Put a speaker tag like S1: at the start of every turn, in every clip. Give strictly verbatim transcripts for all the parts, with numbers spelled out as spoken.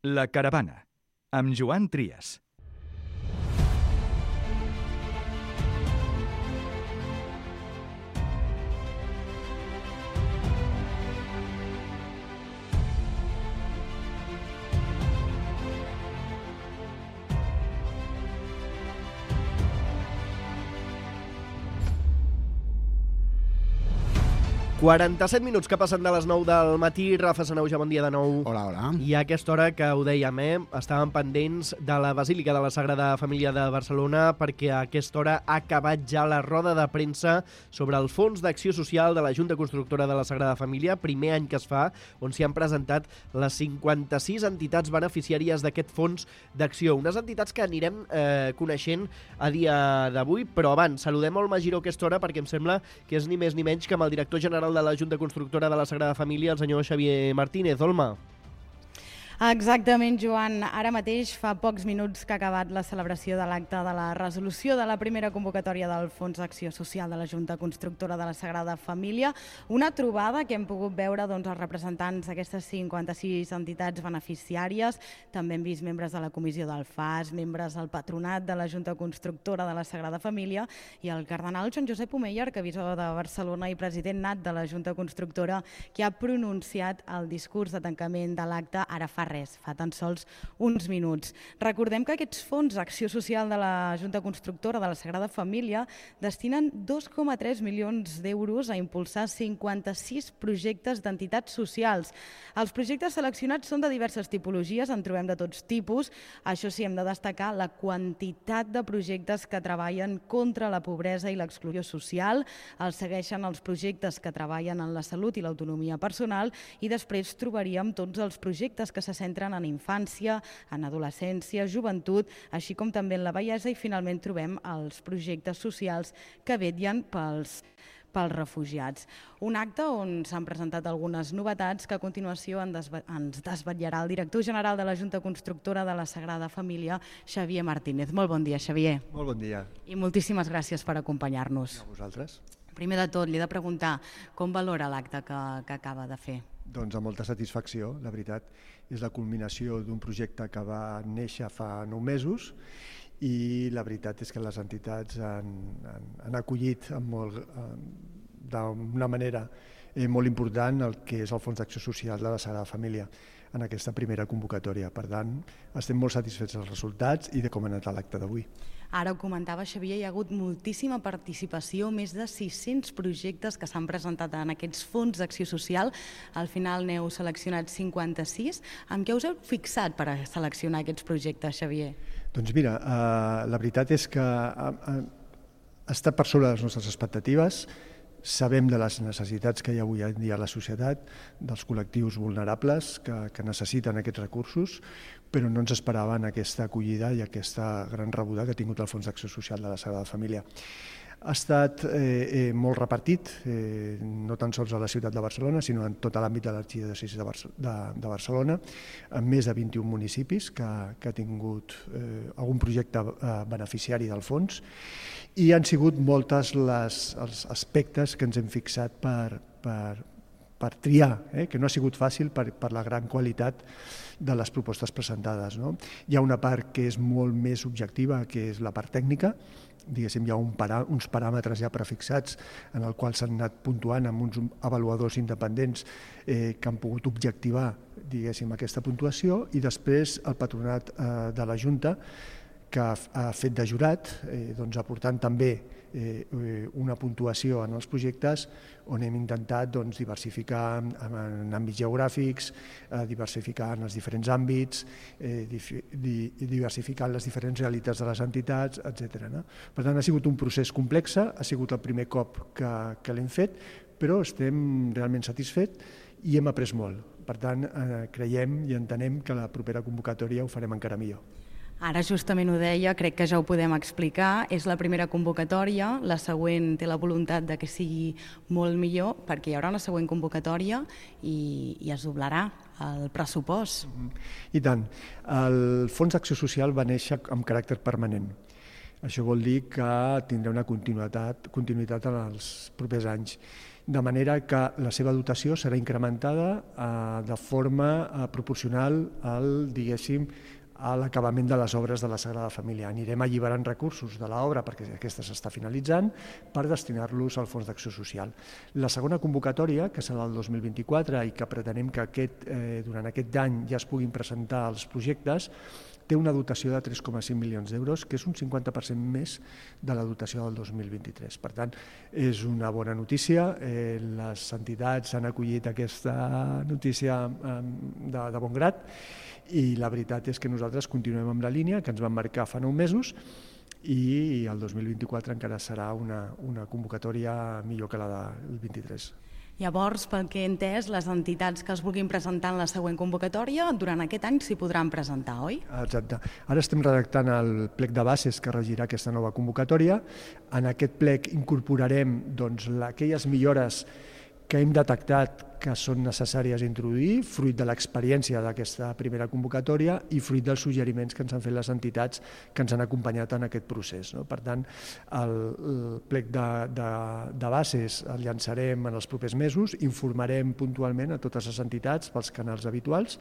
S1: La Caravana, amb Joan Trias.
S2: quaranta-set minuts que passen de les nou del matí. Rafa Sanauja, bon dia de nou.
S3: Hola, hola.
S2: I a aquesta hora que ho dèiem, eh? Estàvem pendents de la Basílica de la Sagrada Família de Barcelona perquè a aquesta hora ha acabat ja la roda de premsa sobre el Fons d'Acció Social de la Junta Constructora de la Sagrada Família, primer any que es fa, on s'hi han presentat les cinquanta-sis entitats beneficiàries d'aquest Fons d'Acció. Unes entitats que anirem eh, coneixent a dia d'avui, però abans saludem el Magiró a aquesta hora perquè em sembla que és ni més ni menys que amb el director general de la Junta Constructora de la Sagrada Família, el senyor Xavier Martínez. Olma.
S4: Exactament, Joan. Ara mateix fa pocs minuts que ha acabat la celebració de l'acte de la resolució de la primera convocatòria del Fons d'Acció Social de la Junta Constructora de la Sagrada Família. Una trobada que hem pogut veure doncs, els representants d'aquestes cinquanta-sis entitats beneficiàries. També hem vist membres de la comissió del F A S, membres del patronat de la Junta Constructora de la Sagrada Família i el cardenal Joan Josep Omeia, arquebisbe de Barcelona i president nat de la Junta Constructora, que ha pronunciat el discurs de tancament de l'acte ara fa res, fa tan sols uns minuts. Recordem que aquests fons d'acció social de la Junta Constructora de la Sagrada Família destinen dos coma tres milions d'euros a impulsar cinquanta-sis projectes d'entitats socials. Els projectes seleccionats són de diverses tipologies, en trobem de tots tipus. Això sí, hem de destacar la quantitat de projectes que treballen contra la pobresa i l'exclusió social, els segueixen els projectes que treballen en la salut i l'autonomia personal i després trobaríem tots els projectes que se centren en infància, en adolescència, joventut, així com també en la vellesa i finalment trobem els projectes socials que vetllen pels pels refugiats. Un acte on s'han presentat algunes novetats que a continuació ens desvetllarà el director general de la Junta Constructora de la Sagrada Família, Xavier Martínez. Molt bon dia, Xavier.
S3: Molt bon dia.
S4: I moltíssimes gràcies per acompanyar-nos.
S3: A vosaltres.
S4: Primer de tot, li he de preguntar com valora l'acte que, que acaba de fer?
S3: Doncs amb molta satisfacció, la veritat. És la culminació d'un projecte que va néixer fa nou mesos i la veritat és que les entitats han, han, han acollit amb molt, d'una manera molt important el que és el Fons d'Acció Social de la Sagrada Família en aquesta primera convocatòria. Per tant, estem molt satisfets dels resultats i de com ha anat l'acte d'avui.
S4: Ara ho comentava, Xavier, hi ha hagut moltíssima participació, més de sis-cents projectes que s'han presentat en aquests fons d'acció social. Al final n'heu seleccionat cinquanta-sis. Amb què us heu fixat per a seleccionar aquests projectes, Xavier?
S3: Doncs mira, eh, la veritat és que ha, ha estat per sobre de les nostres expectatives. Sabem de les necessitats que hi ha avui en dia a la societat, dels col·lectius vulnerables que, que necessiten aquests recursos, però no ens esperaven aquesta acollida i aquesta gran rebuda que ha tingut el Fons d'Acció Social de la Sagrada Família. Ha estat eh, eh, molt repartit, eh, no tan sols a la ciutat de Barcelona, sinó en tot l'àmbit de l'arxidiòcesi de, Barce de, de Barcelona, en més de vint-i-un municipis que, que ha tingut eh, algun projecte eh, beneficiari del fons, i han sigut moltes les, els aspectes que ens hem fixat per, per, per triar, eh? que no ha sigut fàcil per, per la gran qualitat de les propostes presentades. No? Hi ha una part que és molt més objectiva, que és la part tècnica. Diguéssim, hi ha un parà, uns paràmetres ja prefixats en el qual s'han anat puntuant amb uns avaluadors independents eh, que han pogut objectivar, diguéssim, aquesta puntuació, i després el patronat eh, de la Junta, que ha, ha fet de jurat, eh, doncs aportant també eh, una puntuació en els projectes on hem intentat doncs, diversificar en, en àmbits geogràfics, eh, diversificar en els diferents àmbits, eh, di, di, diversificar les diferents realitats de les entitats, etcètera. No? Per tant, ha sigut un procés complex, ha sigut el primer cop que, que l'hem fet, però estem realment satisfets i hem après molt. Per tant, eh, creiem i entenem que la propera convocatòria ho farem encara millor.
S4: Ara justament ho deia, crec que ja ho podem explicar, és la primera convocatòria, la següent té la voluntat de que sigui molt millor perquè hi haurà una següent convocatòria i, i es doblarà el pressupost.
S3: I tant. El Fons d'Acció Social va néixer amb caràcter permanent. Això vol dir que tindrà una continuïtat, continuïtat en els propers anys. de manera que la seva dotació serà incrementada eh, de forma eh, proporcional al, diguéssim, a l'acabament de les obres de la Sagrada Família. Anirem alliberant recursos de l'obra, perquè aquesta s'està finalitzant, per destinar-los al Fons d'Acció Social. La segona convocatòria, que serà el dos mil vint-i-quatre i que pretenem que aquest, eh, durant aquest any ja es puguin presentar els projectes, té una dotació de tres coma cinc milions d'euros, que és un cinquanta per cent més de la dotació del dos mil vint-i-tres. Per tant, és una bona notícia. Eh, les entitats han acollit aquesta notícia eh, de, de bon grat, i la veritat és que nosaltres continuem amb la línia que ens vam marcar fa nou mesos i el dos mil vint-i-quatre encara serà una, una convocatòria millor que la del vint-i-tres.
S4: Llavors, pel que he entès, les entitats que es vulguin presentar en la següent convocatòria, durant aquest any s'hi podran presentar, oi?
S3: Exacte. Ara estem redactant el plec de bases que regirà aquesta nova convocatòria. En aquest plec incorporarem doncs, aquelles millores que hem detectat que són necessàries introduir, fruit de l'experiència d'aquesta primera convocatòria i fruit dels suggeriments que ens han fet les entitats que ens han acompanyat en aquest procés. No? Per tant, el, el plec de, de, de bases el llançarem en els propers mesos, informarem puntualment a totes les entitats pels canals habituals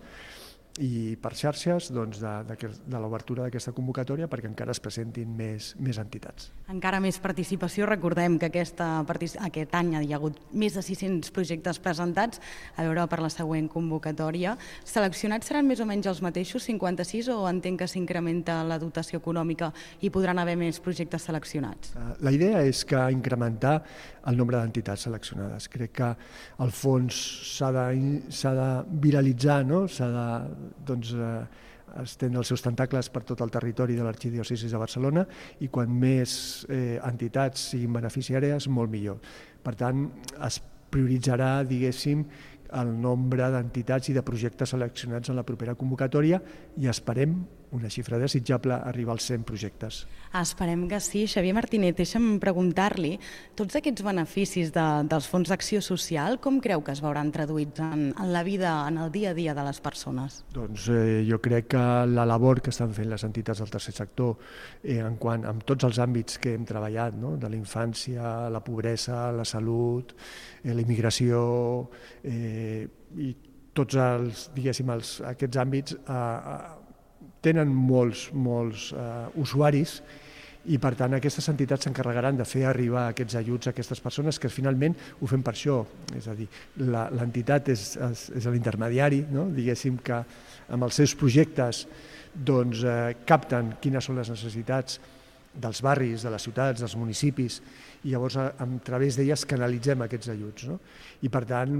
S3: i per xarxes doncs, de, de, de l'obertura d'aquesta convocatòria perquè encara es presentin més, més entitats.
S4: Encara més participació. Recordem que aquesta, aquest any hi ha hagut més de sis-cents projectes presentats, a veure per la següent convocatòria. Seleccionats seran més o menys els mateixos, cinquanta-sis, o entenc que s'incrementa la dotació econòmica i podran haver més projectes seleccionats?
S3: La idea és que incrementar el nombre d'entitats seleccionades. Crec que el fons s'ha de, s'ha de viralitzar, no? S'ha de doncs, eh, estendre els seus tentacles per tot el territori de l'arxidiòcesi de Barcelona i quan més eh, entitats siguin beneficiàries, molt millor. Per tant, es prioritzarà, diguéssim, el nombre d'entitats i de projectes seleccionats en la propera convocatòria i esperem una xifra desitjable arribar als cent projectes.
S4: Esperem que sí. Xavier Martínez, deixa'm preguntar-li, tots aquests beneficis de, dels fons d'acció social, com creu que es veuran traduïts en, en la vida, en el dia a dia de les persones?
S3: Doncs eh, jo crec que la labor que estan fent les entitats del tercer sector eh, en quant, en tots els àmbits que hem treballat, no? De la infància, la pobresa, la salut, eh, la immigració eh, i tots els, diguéssim, els, aquests àmbits eh, tenen molts, molts uh, usuaris i, per tant, aquestes entitats s'encarregaran de fer arribar aquests ajuts a aquestes persones que finalment ho fem per això. És a dir, l'entitat és, és, és l'intermediari, no? Diguéssim que amb els seus projectes doncs, eh, capten quines són les necessitats dels barris, de les ciutats, dels municipis, i llavors a, a través d'elles canalitzem aquests ajuts. No? I per tant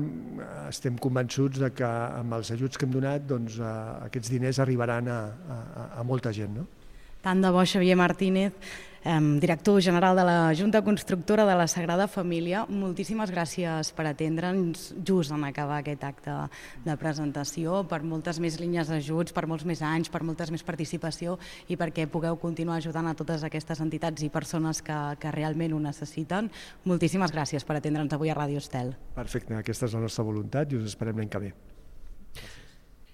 S3: estem convençuts de que amb els ajuts que hem donat doncs, a, aquests diners arribaran a, a, a molta gent. No?
S4: Tant de bo, Xavier Martínez, eh, director general de la Junta Constructora de la Sagrada Família, moltíssimes gràcies per atendre'ns just en acabar aquest acte de presentació, per moltes més línies d'ajuts, per molts més anys, per moltes més participació i perquè pugueu continuar ajudant a totes aquestes entitats i persones que, que realment ho necessiten. Moltíssimes gràcies per atendre'ns avui a Ràdio Estel.
S3: Perfecte, aquesta és la nostra voluntat i us esperem l'any que ve.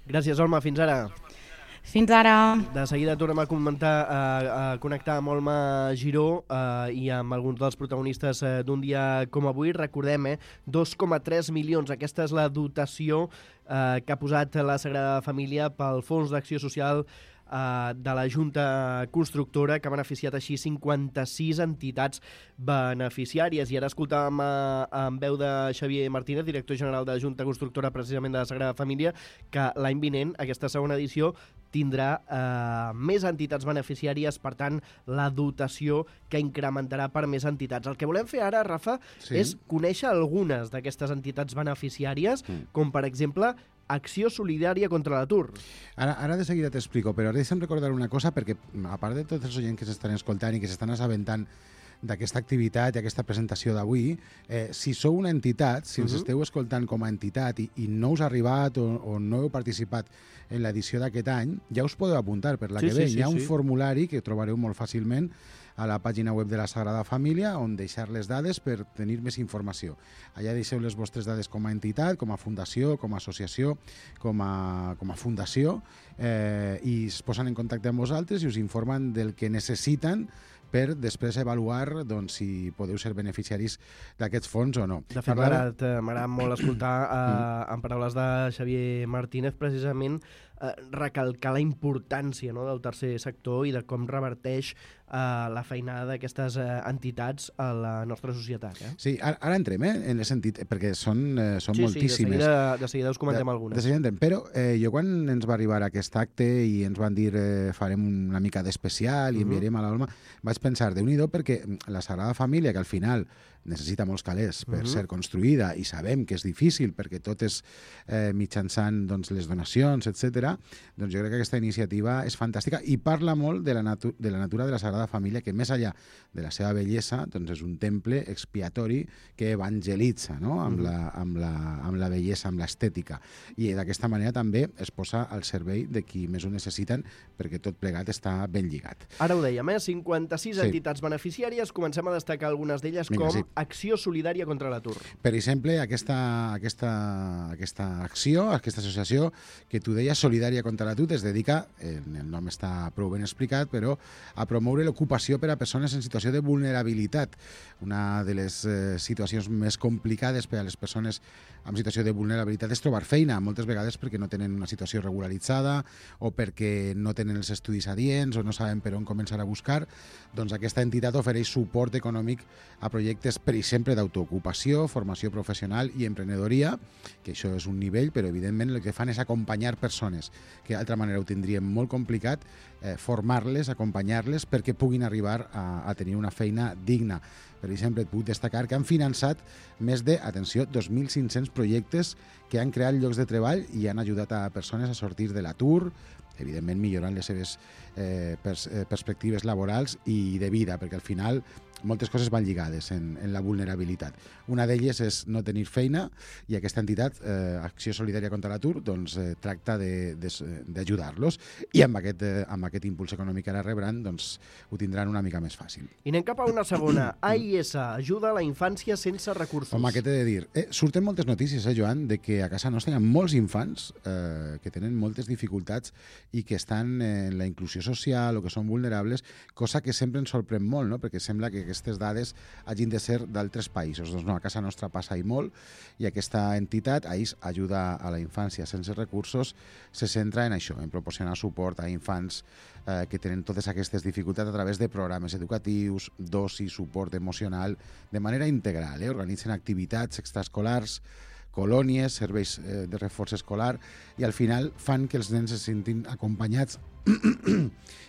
S2: Gràcies, Olma. Fins ara.
S4: Fins ara.
S2: De seguida tornem a comentar, a, a connectar amb Olma Giró eh, i amb alguns dels protagonistes eh, d'un dia com avui. Recordem, eh, dos coma tres milions. Aquesta és la dotació eh, que ha posat la Sagrada Família pel Fons d'Acció Social de la Junta Constructora, que ha beneficiat així cinquanta-sis entitats beneficiàries. I ara escoltàvem en veu de Xavier Martínez, director general de la Junta Constructora precisament de la Sagrada Família, que l'any vinent, aquesta segona edició, tindrà eh, més entitats beneficiàries, per tant, la dotació que incrementarà per més entitats. El que volem fer ara, Rafa, sí. és conèixer algunes d'aquestes entitats beneficiàries, mm. com per exemple Acció Solidària contra l'Atur.
S5: Ara, ara de seguida t'explico, però deixa'm recordar una cosa, perquè a part de tots els oients que s'estan escoltant i que s'estan assabentant d'aquesta activitat i aquesta presentació d'avui, eh, si sou una entitat, si ens uh-huh. esteu escoltant com a entitat i, i no us ha arribat o, o no heu participat en l'edició d'aquest any, ja us podeu apuntar per la sí, que ve. Sí, sí, Hi ha un sí. formulari que trobareu molt fàcilment a la pàgina web de la Sagrada Família on deixar les dades per tenir més informació. Allà deixeu les vostres dades com a entitat, com a fundació, com a associació, com a, com a fundació, eh, i es posen en contacte amb vosaltres i us informen del que necessiten per després avaluar doncs, si podeu ser beneficiaris d'aquests fons o no.
S2: De fet, m'ha agradat molt escoltar eh, en paraules de Xavier Martínez precisament eh, recalcar la importància, no?, del tercer sector i de com reverteix eh, la feinada d'aquestes eh, entitats a la nostra societat. Eh?
S5: Sí, ara, ara entrem, eh, en el sentit, perquè són, eh, són
S2: sí,
S5: moltíssimes.
S2: Sí, de seguida, de seguida us comentem
S5: de,
S2: algunes.
S5: De seguida entrem, però eh, jo quan ens va arribar aquest acte i ens van dir eh, farem una mica d'especial i enviarem a l'Alma, vaig pensar, déu-n'hi-do, perquè la Sagrada Família, que al final necessita molts calés per uh -huh. ser construïda i sabem que és difícil perquè tot és eh, mitjançant doncs, les donacions, etcètera, doncs jo crec que aquesta iniciativa és fantàstica i parla molt de la, natu de la natura de la Sagrada Família, que més enllà de la seva bellesa doncs és un temple expiatori que evangelitza, no?, amb, uh -huh. la, amb, la, amb la bellesa, amb l'estètica. I d'aquesta manera també es posa al servei de qui més ho necessiten perquè tot plegat està ben lligat.
S2: Ara ho dèiem, eh? cinquanta-sis
S5: sí.
S2: entitats beneficiàries, comencem a destacar algunes d'elles com
S5: sí.
S2: Acció Solidària contra l'Atur.
S5: Per exemple, aquesta, aquesta, aquesta acció, aquesta associació que tu deies, Solidària contra l'Atur, es dedica, el nom està prou ben explicat, però a promoure l'ocupació per a persones en situació de vulnerabilitat. Una de les eh, situacions més complicades per a les persones en situació de vulnerabilitat és trobar feina, moltes vegades perquè no tenen una situació regularitzada o perquè no tenen els estudis adients o no saben per on començar a buscar. Doncs aquesta entitat ofereix suport econòmic a projectes, per exemple, d'autoocupació, formació professional i emprenedoria, que això és un nivell, però evidentment el que fan és acompanyar persones que d'altra manera ho tindrien molt complicat, eh, formar-les, acompanyar-les perquè puguin arribar a, a tenir una feina digna. Per exemple, et puc destacar que han finançat més de, atenció, dos mil cinc-cents projectes que han creat llocs de treball i han ajudat a persones a sortir de l'atur, evidentment millorant les seves eh, pers eh, perspectives laborals i de vida, perquè al final moltes coses van lligades en, en la vulnerabilitat. Una d'elles és no tenir feina i aquesta entitat, eh, Acció Solidària contra l'Atur, doncs, eh, tracta d'ajudar-los i amb aquest, eh, amb aquest impuls econòmic que ara rebran doncs, ho tindran una mica més fàcil.
S2: I anem cap a una segona. A I S, ajuda a la infància sense recursos.
S5: Home, què t'he de dir? Eh, surten moltes notícies, eh, Joan, de que a casa nostra hi ha molts infants eh, que tenen moltes dificultats i que estan en la inclusió social o que són vulnerables, cosa que sempre ens sorprèn molt, no?, perquè sembla que aquestes dades hagin de ser d'altres països. Doncs no, a casa nostra passa i molt, i aquesta entitat, A I S, Ajuda a la Infància Sense Recursos, se centra en això, en proporcionar suport a infants eh, que tenen totes aquestes dificultats a través de programes educatius, dosi, suport emocional, de manera integral. Eh? Organitzen activitats extraescolars, colònies, serveis eh, de reforç escolar, i al final fan que els nens se sentin acompanyats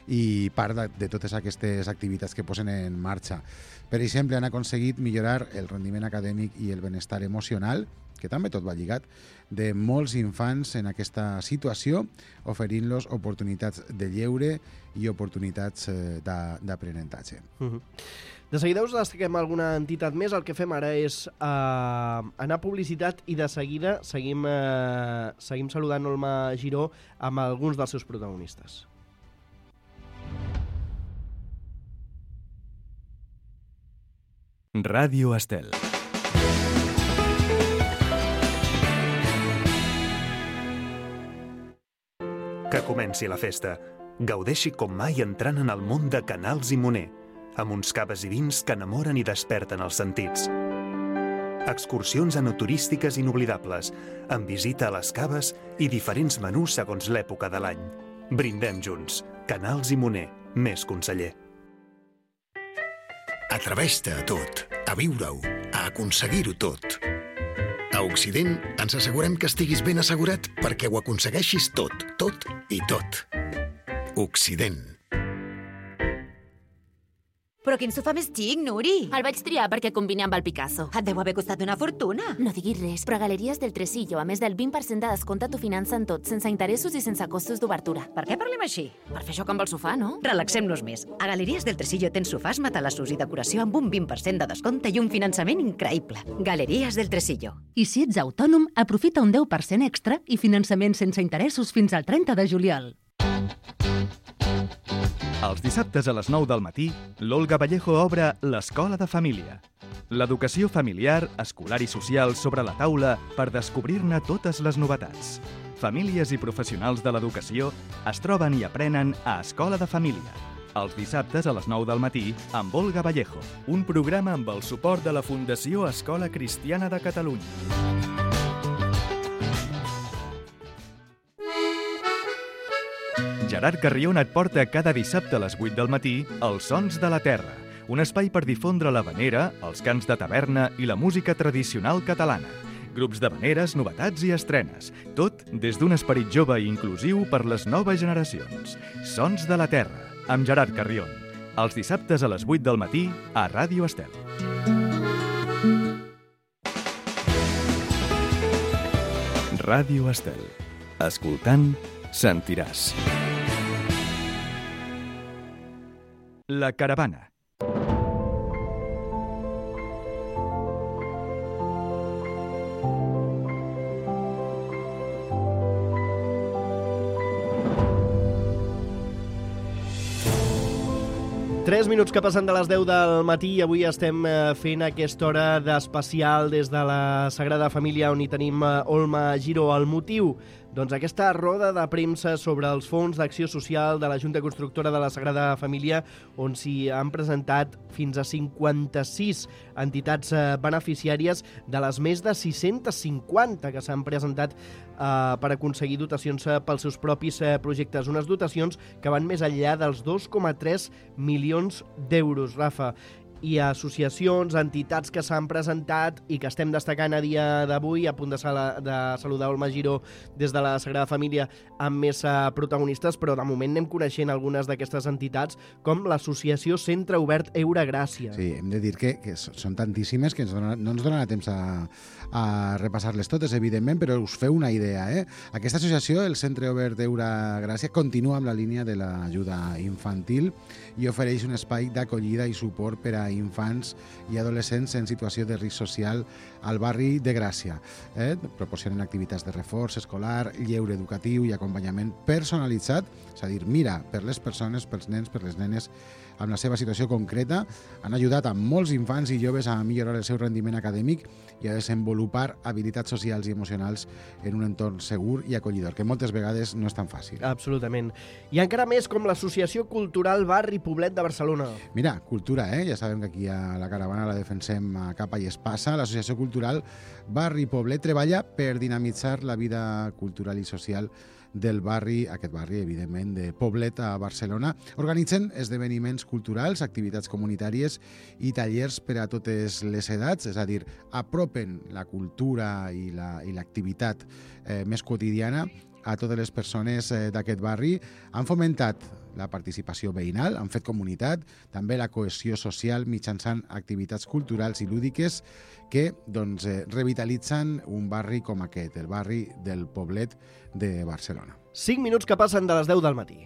S5: i part de, de totes aquestes activitats que posen en marxa. Per exemple, han aconseguit millorar el rendiment acadèmic i el benestar emocional, que també tot va lligat, de molts infants en aquesta situació, oferint-los oportunitats de lleure i oportunitats eh, d'aprenentatge.
S2: Uh-huh. De seguida us destaquem alguna entitat més. El que fem ara és eh, anar a publicitat i de seguida seguim, eh, seguim saludant Olma Giró amb alguns dels seus protagonistes.
S1: Ràdio Estel. Que comenci la festa. Gaudeixi com mai entrant en el món de Canals i Moner, amb uns caves i vins que enamoren i desperten els sentits. Excursions enoturístiques inoblidables, amb visita a les caves i diferents menús segons l'època de l'any. Brindem junts. Canals i Moner, més conseller.
S6: Atreveix-te a tot, a viure-ho, a aconseguir-ho tot. A Occident ens assegurem que estiguis ben assegurat perquè ho aconsegueixis tot, tot i tot. Occident.
S7: Però quin sofà més xic, Nuri!
S8: El vaig triar perquè combina amb el Picasso.
S7: Et deu haver costat una fortuna.
S8: No diguis res, però a Galeries del Tresillo, a més del vint per cent de descompte, t'ho financen tot, sense interessos i sense costos d'obertura.
S7: Per què parlem així?
S8: Per fer això amb el sofà, no?
S7: Relaxem-nos més. A Galeries del Tresillo tens sofàs, matalassos i decoració amb un vint per cent de descompte i un finançament increïble. Galeries del Tresillo.
S9: I si ets autònom, aprofita un deu per cent extra i finançament sense interessos fins al trenta de juliol.
S1: Els dissabtes a les nou del matí, l'Olga Vallejo obre l'Escola de Família. L'educació familiar, escolar i social sobre la taula per descobrir-ne totes les novetats. Famílies i professionals de l'educació es troben i aprenen a Escola de Família.
S10: els dissabtes a les nou del matí amb Olga Vallejo, un programa amb el suport de la Fundació Escola Cristiana de Catalunya. Gerard Carrion et porta cada dissabte a les vuit del matí Els Sons de la Terra, un espai per difondre l'havanera, els cants de taverna i la música tradicional catalana. Grups d'havaneres, novetats i estrenes, tot des d'un esperit jove i inclusiu per les noves generacions. Sons de la Terra, amb Gerard Carrion. Els dissabtes a les vuit del matí a Ràdio Estel. Ràdio Estel. Escoltant, sentiràs. La caravana.
S2: Tres minuts que passen de les deu del matí i avui estem fent aquesta hora d'especial des de la Sagrada Família on hi tenim Olma Giró. El motiu? Doncs aquesta roda de premsa sobre els fons d'acció social de la Junta Constructora de la Sagrada Família on s'hi han presentat fins a cinquanta-sis entitats beneficiàries de les més de sis-centes cinquanta que s'han presentat eh, per aconseguir dotacions pels seus propis eh, projectes. Unes dotacions que van més enllà dels dos coma tres milions d'euros, Rafa. I associacions, entitats que s'han presentat i que estem destacant a dia d'avui, a punt de, sala, de saludar Olma Giró des de la Sagrada Família amb més uh, protagonistes, però de moment anem coneixent algunes d'aquestes entitats, com l'associació Centre Obert Eura Gràcia.
S5: Sí, hem de dir que, que són tantíssimes que ens dona, no ens donarà temps a, a repassar-les totes, evidentment, però us feu una idea. Eh? Aquesta associació, el Centre Obert Eura Gràcia, continua amb la línia de l'ajuda infantil i ofereix un espai d'acollida i suport per a infants i adolescents en situació de risc social al barri de Gràcia. Eh? Proporcionen activitats de reforç escolar, lleure educatiu i acompanyament personalitzat, és a dir, mira per les persones, pels nens, per les nenes, amb la seva situació concreta. Han ajudat a molts infants i joves a millorar el seu rendiment acadèmic i a desenvolupar habilitats socials i emocionals en un entorn segur i acollidor, que moltes vegades no és tan fàcil.
S2: Absolutament. I encara més com l'Associació Cultural Barri Poblet de Barcelona.
S5: Mira, cultura, eh? Ja sabem que aquí a la caravana la defensem a capa i espasa. L'Associació Cultural Barri Poblet treballa per dinamitzar la vida cultural i social del barri, aquest barri, evidentment, de Poblet a Barcelona. Organitzen esdeveniments culturals, activitats comunitàries i tallers per a totes les edats, és a dir, apropen la cultura i l'activitat eh, més quotidiana a totes les persones eh, d'aquest barri. Han fomentat la participació veïnal, han fet comunitat, també la cohesió social mitjançant activitats culturals i lúdiques que doncs, eh, revitalitzen un barri com aquest, el barri del Poblet de Barcelona.
S2: Cinc minuts que passen de les deu del matí.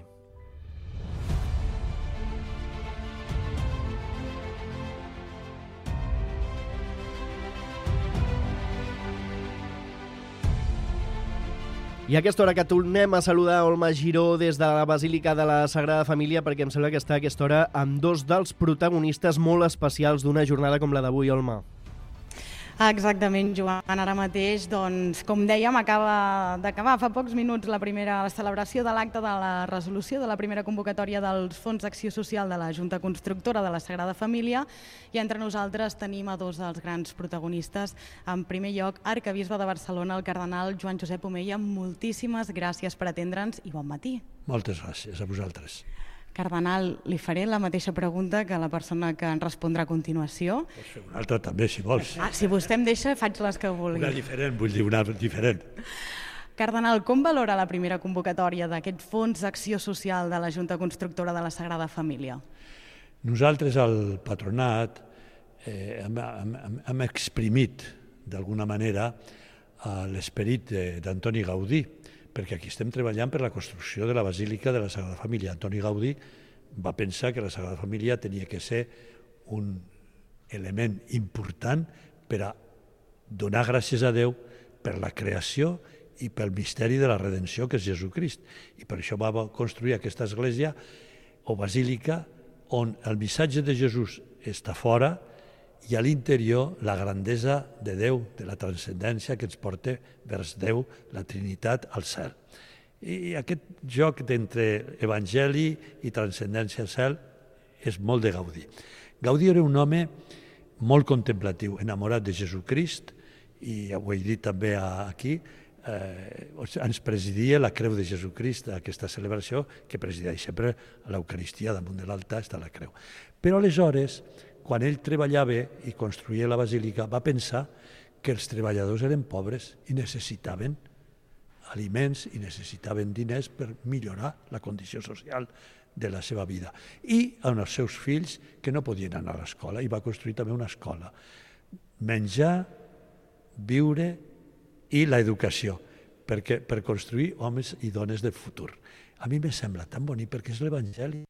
S2: I a aquesta hora que tornem a saludar Olma Giró des de la Basílica de la Sagrada Família, perquè em sembla que està a aquesta hora amb dos dels protagonistes molt especials d'una jornada com la d'avui, Olma.
S4: Exactament, Joan. Ara mateix, doncs, com dèiem, acaba d'acabar fa pocs minuts la primera la celebració de l'acte de la resolució de la primera convocatòria dels Fons d'Acció Social de la Junta Constructora de la Sagrada Família i entre nosaltres tenim a dos dels grans protagonistes. En primer lloc, arquebisbe de Barcelona, el cardenal Joan Josep Omella. Moltíssimes gràcies per atendre'ns i bon matí.
S11: Moltes gràcies a vosaltres.
S4: Cardenal, li faré la mateixa pregunta que la persona que ens respondrà a continuació.
S11: Pots fer una altra també, si vols.
S4: Ah, si vostè em deixa, faig les que vulgui.
S11: Una diferent, vull dir una diferent.
S4: Cardenal, com valora la primera convocatòria d'aquest Fons d'Acció Social de la Junta Constructora de la Sagrada Família?
S11: Nosaltres, al patronat, eh, hem, hem, hem exprimit, d'alguna manera, l'esperit d'Antoni Gaudí, perquè aquí estem treballant per la construcció de la Basílica de la Sagrada Família. Antoni Gaudí va pensar que la Sagrada Família tenia que ser un element important per a donar gràcies a Déu per la creació i pel misteri de la redenció, que és Jesucrist. I per això va construir aquesta església o basílica on el missatge de Jesús està fora i a l'interior la grandesa de Déu, de la transcendència que ens porta vers Déu, la Trinitat, al cel. I aquest joc d'entre evangeli i transcendència al cel és molt de Gaudí. Gaudí era un home molt contemplatiu, enamorat de Jesucrist, i ho he dit també aquí, eh, ens presidia la Creu de Jesucrist, aquesta celebració que presideix sempre a l'Eucaristia, damunt de l'altar està la Creu. Però aleshores, quan ell treballava i construïa la basílica, va pensar que els treballadors eren pobres i necessitaven aliments i necessitaven diners per millorar la condició social de la seva vida. I amb els seus fills que no podien anar a l'escola, i va construir també una escola. Menjar, viure i l'educació, perquè, per construir homes i dones del futur. A mi me sembla tan bonic perquè és l'Evangeli.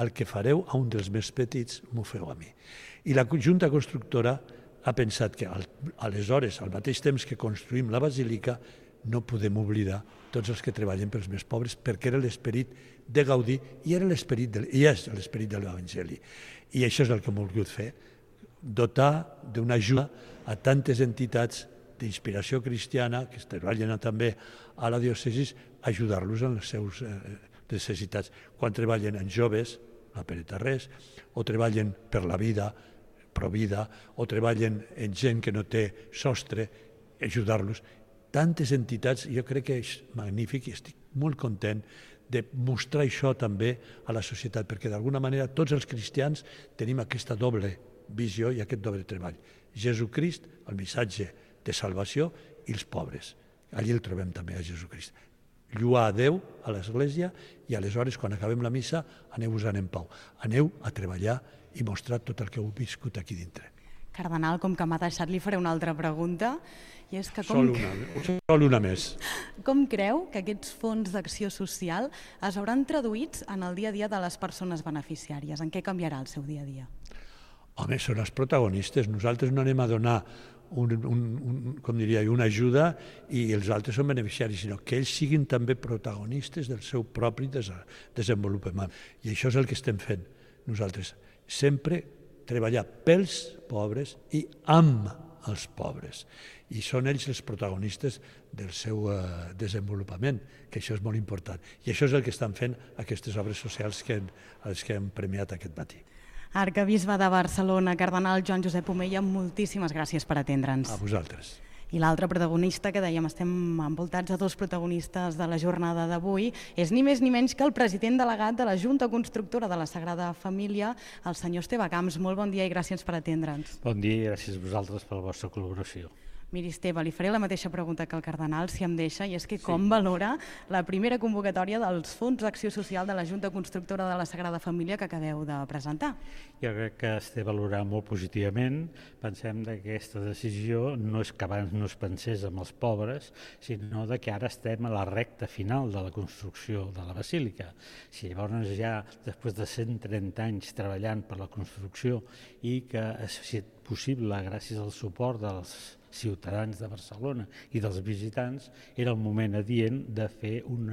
S11: El que fareu a un dels més petits m'ho feu a mi. I la Junta Constructora ha pensat que aleshores, al mateix temps que construïm la basílica, no podem oblidar tots els que treballen pels més pobres, perquè era l'esperit de Gaudí i era l'esperit del, i és l'esperit de l'Evangeli. I això és el que hem volgut fer, dotar d'una ajuda a tantes entitats d'inspiració cristiana que treballen també a la diòcesi, ajudar-los en les seves necessitats. Quan treballen en joves, la Pere Tarrés, o treballen per la vida, Provida, o treballen en gent que no té sostre, ajudar-los. Tantes entitats, jo crec que és magnífic i estic molt content de mostrar això també a la societat, perquè d'alguna manera tots els cristians tenim aquesta doble visió i aquest doble treball. Jesucrist, el missatge de salvació, i els pobres. Allí el trobem també a Jesucrist. Lluar a Déu a l'Església i aleshores, quan acabem la missa, aneu-vos-en en pau. Aneu a treballar i mostrar tot el que heu viscut aquí dintre.
S4: Cardenal, com que m'ha deixat, li faré una altra pregunta. I és que com...
S11: Sol una, sol una més.
S4: Com creu que aquests fons d'acció social es veuran traduïts en el dia a dia de les persones beneficiàries? En què canviarà el seu dia a dia?
S11: Home, són els protagonistes. Nosaltres no anem a donar un, un, un, com diria, una ajuda i els altres són beneficiaris, sinó que ells siguin també protagonistes del seu propi desenvolupament. I això és el que estem fent nosaltres. Sempre treballar pels pobres i amb els pobres. I són ells els protagonistes del seu eh, desenvolupament, que això és molt important. I això és el que estan fent aquestes obres socials que, els que hem premiat aquest matí.
S4: Arquebisbe de Barcelona, cardenal Joan Josep Omella, moltíssimes gràcies per atendre'ns.
S11: A vosaltres.
S4: I l'altre protagonista, que dèiem, estem envoltats de dos protagonistes de la jornada d'avui, és ni més ni menys que el president delegat de la Junta Constructora de la Sagrada Família, el senyor Esteve Camps. Molt bon dia i gràcies per atendre'ns.
S12: Bon dia i gràcies a vosaltres per la vostra col·laboració.
S4: Miri, Esteve, li faré la mateixa pregunta que el cardenal, si em deixa, i és que com valora la primera convocatòria dels Fons d'Acció Social de la Junta Constructora de la Sagrada Família que acabeu de presentar?
S12: Jo crec que es té valorar molt positivament. Pensem que aquesta decisió no és que abans no es pensés amb els pobres, sinó que ara estem a la recta final de la construcció de la Basílica. Si llavors ja, després de cent trenta anys treballant per la construcció i que ha estat possible gràcies al suport dels ciutadans de Barcelona i dels visitants, era el moment adient de fer un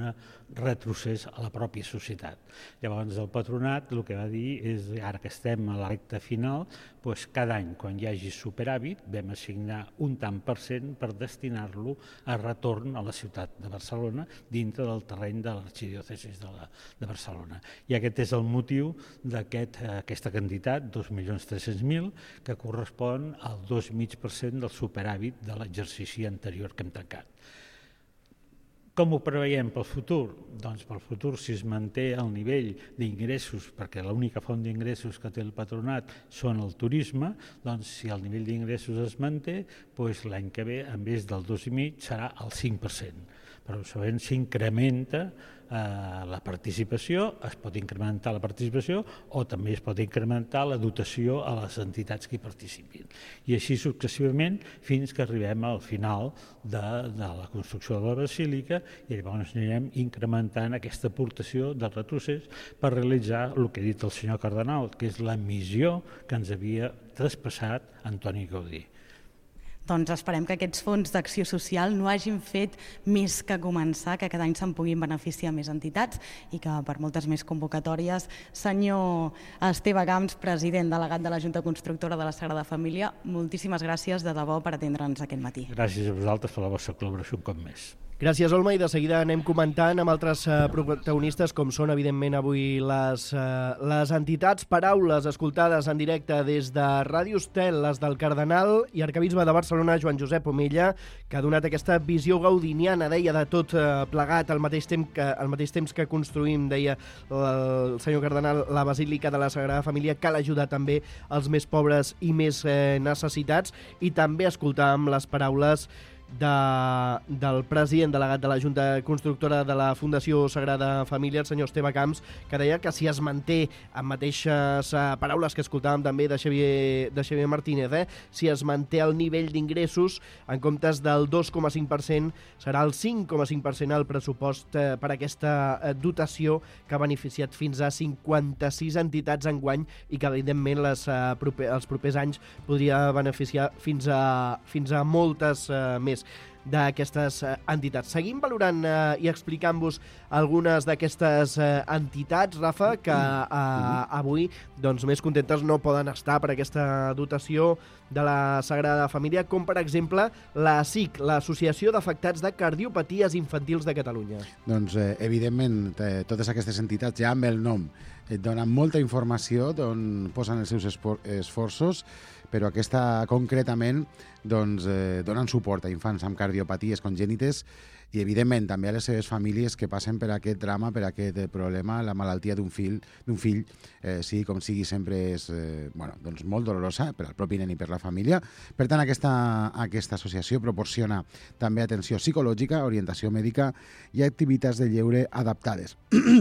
S12: retrocés a la pròpia societat. Llavors el patronat el que va dir és, ara que estem a la recta final, doncs cada any, quan hi hagi superàvit, vam assignar un tant per cent per destinar-lo a retorn a la ciutat de Barcelona dintre del terreny de l'arxidiòcesi de, la, de Barcelona. I aquest és el motiu d'aquesta aquest, quantitat, dos milions tres-cents mil, que correspon al dos coma cinc per cent del superàvit de l'exercici anterior que hem tancat. Com ho preveiem pel futur? Doncs pel futur, si es manté el nivell d'ingressos, perquè l'única font d'ingressos que té el patronat són el turisme, doncs si el nivell d'ingressos es manté, doncs l'any que ve, en vez del dos coma cinc, serà el cinc per cent. Però segurament s'incrementa eh, la participació, es pot incrementar la participació o també es pot incrementar la dotació a les entitats que hi participin. I així successivament fins que arribem al final de, de la construcció de la Basílica i llavors anirem incrementant aquesta aportació del retrocés per realitzar el que ha dit el senyor cardenal, que és la missió que ens havia traspassat Antoni Gaudí.
S4: Doncs esperem que aquests fons d'acció social no hagin fet més que començar, que cada any se'n puguin beneficiar més entitats i que per moltes més convocatòries. Senyor Esteve Camps, president delegat de la Junta Constructora de la Sagrada Família, moltíssimes gràcies de debò per atendre'ns aquest matí.
S12: Gràcies a vosaltres per la vostra col·laboració un cop més.
S2: Gràcies, Olma, i de seguida anem comentant amb altres uh, protagonistes, com són, evidentment, avui les, uh, les entitats. Paraules escoltades en directe des de Ràdio Estel, les del Cardenal i Arquebisbe de Barcelona, Joan Josep Omella, que ha donat aquesta visió gaudiniana, deia, de tot uh, plegat al mateix, temps que, al mateix temps que construïm, deia el senyor Cardenal, la Basílica de la Sagrada Família, cal ajudar també els més pobres i més eh, necessitats, i també escoltàvem les paraules De, del president delegat de la Junta Constructora de la Fundació Sagrada Família, el senyor Esteve Camps, que deia que si es manté amb mateixes uh, paraules que escoltàvem també de Xavier, de Xavier Martínez, eh? si es manté el nivell d'ingressos, en comptes del dos coma cinc per cent, serà el cinc coma cinc per cent el pressupost uh, per aquesta uh, dotació que ha beneficiat fins a cinquanta-sis entitats enguany i que, evidentment, les, uh, proper, els propers anys podria beneficiar fins a, fins a moltes uh, més d'aquestes eh, entitats. Seguim valorant eh, i explicant-vos algunes d'aquestes eh, entitats, Rafa, que eh, avui doncs, més contentes no poden estar per aquesta dotació de la Sagrada Família, com per exemple la A S I C, l'Associació d'Afectats de Cardiopaties Infantils de Catalunya.
S5: Doncs, eh, evidentment, eh, totes aquestes entitats ja amb el nom et donen molta informació d'on posen els seus esforços, però aquesta concretament doncs, eh, donen suport a infants amb cardiopaties congènites i, evidentment, també a les seves famílies que passen per aquest drama, per aquest problema, la malaltia d'un fill, d'un fill eh, sigui com sigui, sempre és eh, bueno, doncs molt dolorosa per al propi nen i per la família. Per tant, aquesta, aquesta associació proporciona també atenció psicològica, orientació mèdica i activitats de lleure adaptades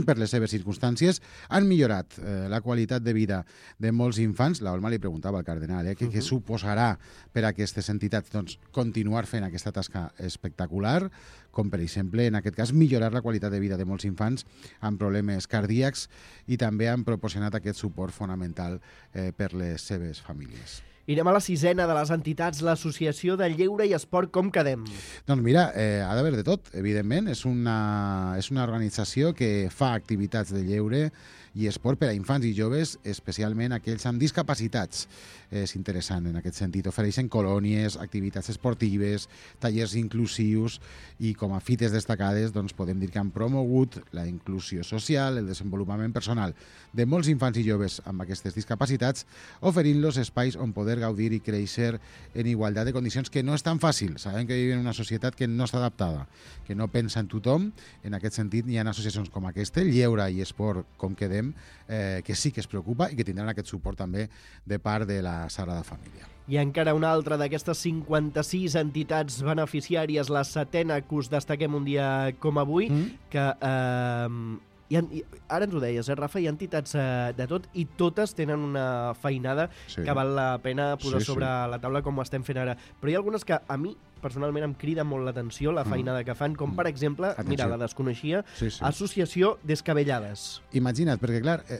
S5: per les seves circumstàncies. Han millorat eh, la qualitat de vida de molts infants. La Olma li preguntava al cardenal eh, què, uh -huh. què suposarà per a aquestes entitats doncs, continuar fent aquesta tasca espectacular, com per exemple, en aquest cas, millorar la qualitat de vida de molts infants amb problemes cardíacs i també han proporcionat aquest suport fonamental eh, per les seves famílies.
S2: I anem a la sisena de les entitats, l'Associació de Lleure i Esport Com Quedem.
S5: Doncs mira, eh, ha d'haver de tot, evidentment. És una, és una organització que fa activitats de lleure i esport per a infants i joves, especialment aquells amb discapacitats. És interessant en aquest sentit. Ofereixen colònies, activitats esportives, tallers inclusius i com a fites destacades doncs, podem dir que han promogut la inclusió social, el desenvolupament personal de molts infants i joves amb aquestes discapacitats, oferint-los espais on poder gaudir i créixer en igualtat de condicions, que no és tan fàcil. Sabem que vivim en una societat que no està adaptada, que no pensa en tothom. En aquest sentit, hi ha associacions com aquesta, Lleure i Esport Com Quedem, eh, que sí que es preocupa i que tindran aquest suport també de part de la Sagrada Família.
S2: I encara una altra d'aquestes cinquanta-sis entitats beneficiàries, la setena que us destaquem un dia com avui, mm. que eh, hi ha, ara ens ho deies, eh, Rafa, hi ha entitats eh, de tot i totes tenen una feinada sí. que val la pena posar sí, sobre sí. la taula com ho estem fent ara. Però hi ha algunes que a mi personalment em crida molt l'atenció la feinada mm. que fan, com per exemple, Atenció. mira, la desconeixia, sí, sí. Associació Descabellades.
S5: Imagina't, perquè clar, eh,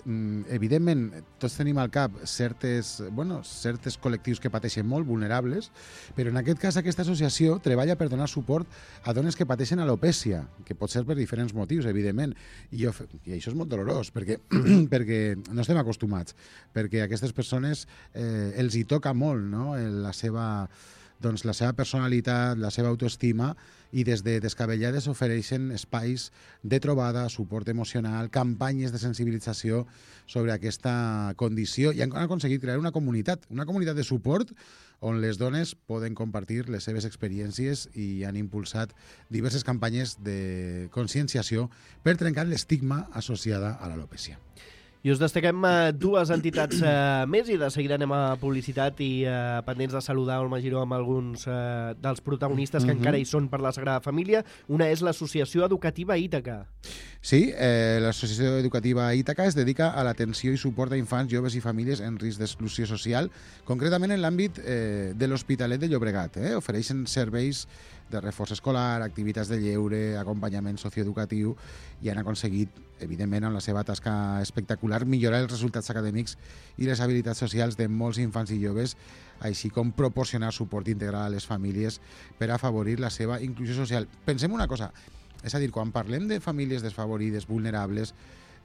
S5: evidentment tots tenim al cap certes, bueno, certes col·lectius que pateixen molt, vulnerables, però en aquest cas aquesta associació treballa per donar suport a dones que pateixen alopècia, que pot ser per diferents motius, evidentment, i, jo, i això és molt dolorós, perquè, perquè no estem acostumats, perquè a aquestes persones eh, els hi toca molt, no?, la seva... doncs la seva personalitat, la seva autoestima, i des de Descabellades ofereixen espais de trobada, suport emocional, campanyes de sensibilització sobre aquesta condició, i han aconseguit crear una comunitat, una comunitat de suport on les dones poden compartir les seves experiències i han impulsat diverses campanyes de conscienciació per trencar l'estigma associada a l'alopècia.
S2: I us destaquem uh, dues entitats uh, més i de seguida anem a publicitat i uh, pendents de saludar Olma Giró amb alguns uh, dels protagonistes que mm-hmm. encara hi són per la Sagrada Família. Una és l'Associació Educativa Ítaca.
S5: Sí, eh, l'Associació Educativa Ítaca es dedica a l'atenció i suport a infants, joves i famílies en risc d'exclusió social, concretament en l'àmbit eh, de l'Hospitalet de Llobregat. Eh? Ofereixen serveis de reforç escolar, activitats de lleure, acompanyament socioeducatiu, i han aconseguit, evidentment, amb la seva tasca espectacular, millorar els resultats acadèmics i les habilitats socials de molts infants i joves, així com proporcionar suport integral a les famílies per afavorir la seva inclusió social. Pensem una cosa, és a dir, quan parlem de famílies desfavorides, vulnerables,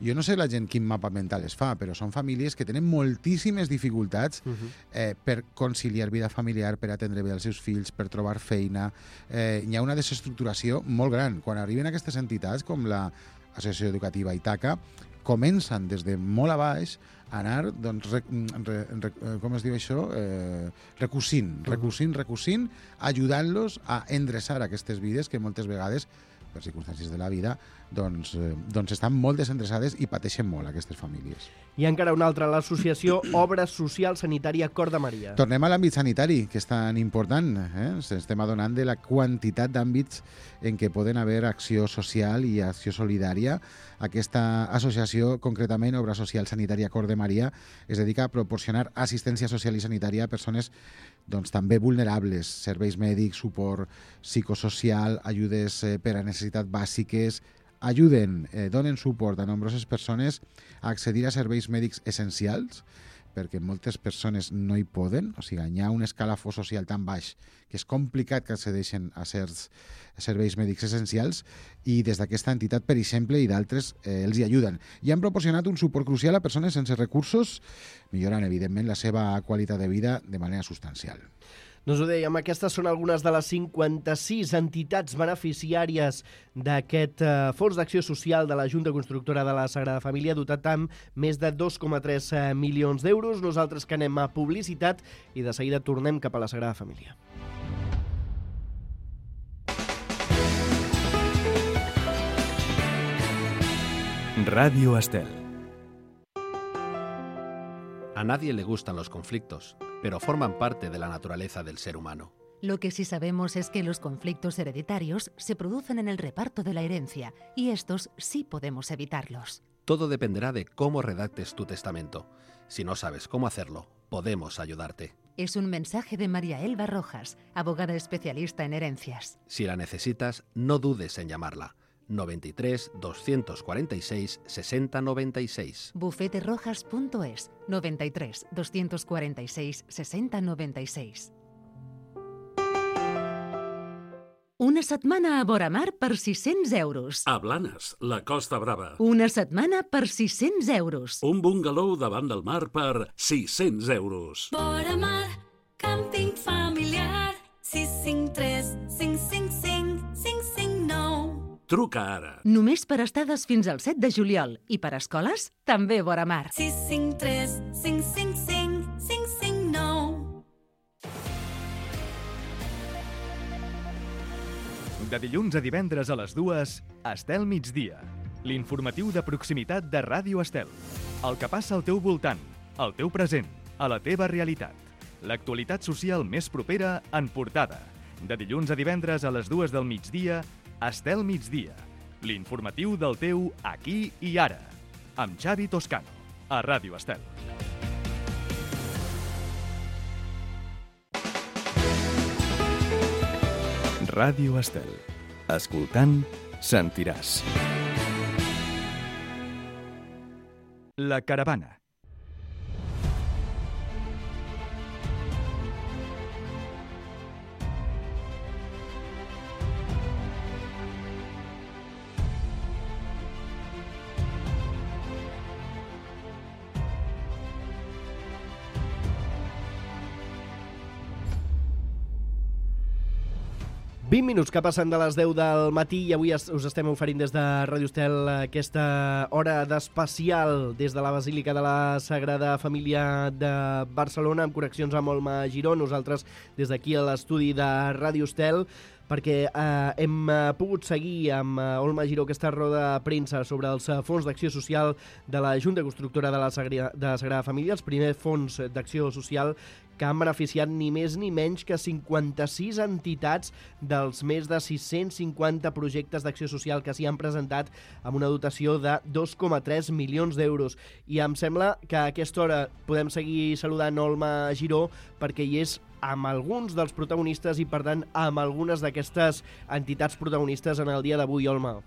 S5: Jo no sé la gent quin mapa mental es fa, però són famílies que tenen moltíssimes dificultats uh-huh. eh, per conciliar vida familiar, per atendre bé els seus fills, per trobar feina. Eh, hi ha una desestructuració molt gran. Quan arriben aquestes entitats, com l'Associació Educativa Itaca, comencen des de molt a baix a anar, doncs, re, re, re, com es diu això? Eh, recusint, recusint, recusint, ajudant-los a endreçar aquestes vides que moltes vegades, per circumstàncies de la vida, doncs, eh, doncs estan molt desendreçades i pateixen molt aquestes famílies.
S2: I encara una altra, l'associació Obra Social Sanitària Cor de Maria.
S5: Tornem a l'àmbit sanitari, que és tan important. Eh? Ens estem adonant de la quantitat d'àmbits en què poden haver acció social i acció solidària. Aquesta associació, concretament Obra Social Sanitària Cor de Maria, es dedica a proporcionar assistència social i sanitària a persones doncs, també vulnerables, serveis mèdics, suport psicosocial, ajudes eh, per a necessitats bàsiques, ajuden, eh, donen suport a nombroses persones a accedir a serveis mèdics essencials, perquè moltes persones no hi poden, o sigui, hi ha un escalafó social tan baix que és complicat que accedeixen a certs serveis mèdics essencials i des d'aquesta entitat, per exemple, i d'altres, eh, els hi ajuden. I han proporcionat un suport crucial a persones sense recursos, millorant, evidentment, la seva qualitat de vida de manera substancial.
S2: Doncs ho dèiem, aquestes són algunes de les cinquanta-sis entitats beneficiàries d'aquest eh, Fons d'Acció Social de la Junta Constructora de la Sagrada Família, dotat amb més de dos coma tres milions d'euros. Nosaltres que anem a publicitat i de seguida tornem cap a la Sagrada Família.
S10: Radio Estel.
S13: A nadie le gustan los conflictos, pero forman parte de la naturaleza del ser humano.
S9: Lo que sí sabemos es que los conflictos hereditarios se producen en el reparto de la herencia y estos sí podemos evitarlos.
S13: Todo dependerá de cómo redactes tu testamento. Si no sabes cómo hacerlo, podemos ayudarte.
S9: Es un mensaje de María Elba Rojas, abogada especialista en herencias.
S13: Si la necesitas, no dudes en llamarla. noventa y tres, doscientos cuarenta y seis, sesenta noventa y seis.
S9: bufete rojas punto es, noventa y tres, doscientos cuarenta y seis, sesenta noventa y seis. Una setmana a Boramar per sis-cents euros.
S14: A Blanes, la Costa Brava.
S9: Una setmana per sis-cents euros.
S14: Un bungalow davant del mar per sis-cents euros.
S15: Boramar, càmping familiar, sis cinc tres, cinc cinc cinc, cinc cinc nou.
S14: Truca ara.
S9: Només per estades fins al set de juliol i per escoles, també vora mar.
S15: sis cinc tres, cinc cinc cinc, cinc cinc nou.
S10: De dilluns a divendres a les dues, Estel Migdia. L'informatiu de proximitat de Ràdio Estel. El que passa al teu voltant, al teu present, a la teva realitat. L'actualitat social més propera en portada. De dilluns a divendres a les dues del migdia, Estel Migdia. L'informatiu del teu aquí i ara. Amb Xavi Toscano, a Ràdio Estel. Ràdio Estel. Escoltant, sentiràs. La caravana.
S2: vint minuts que passen de les deu del matí i avui us estem oferint des de Ràdio Estel aquesta hora d'especial des de la Basílica de la Sagrada Família de Barcelona amb connexions amb Olma Giró. Nosaltres des d'aquí a l'estudi de Ràdio Estel perquè eh, hem pogut seguir amb eh, Olma Giró aquesta roda de premsa sobre els eh, fons d'acció social de la Junta Constructora de la, Sagrada, de la Sagrada Família, els primers fons d'acció social que han beneficiat ni més ni menys que cinquanta-sis entitats dels més de sis-cents cinquanta projectes d'acció social que s'hi han presentat amb una dotació de dos coma tres milions d'euros. I em sembla que a aquesta hora podem seguir saludant Olma Giró perquè hi és amb alguns dels protagonistes i, per tant, amb algunes d'aquestes entitats protagonistes en el dia d'avui, Olma.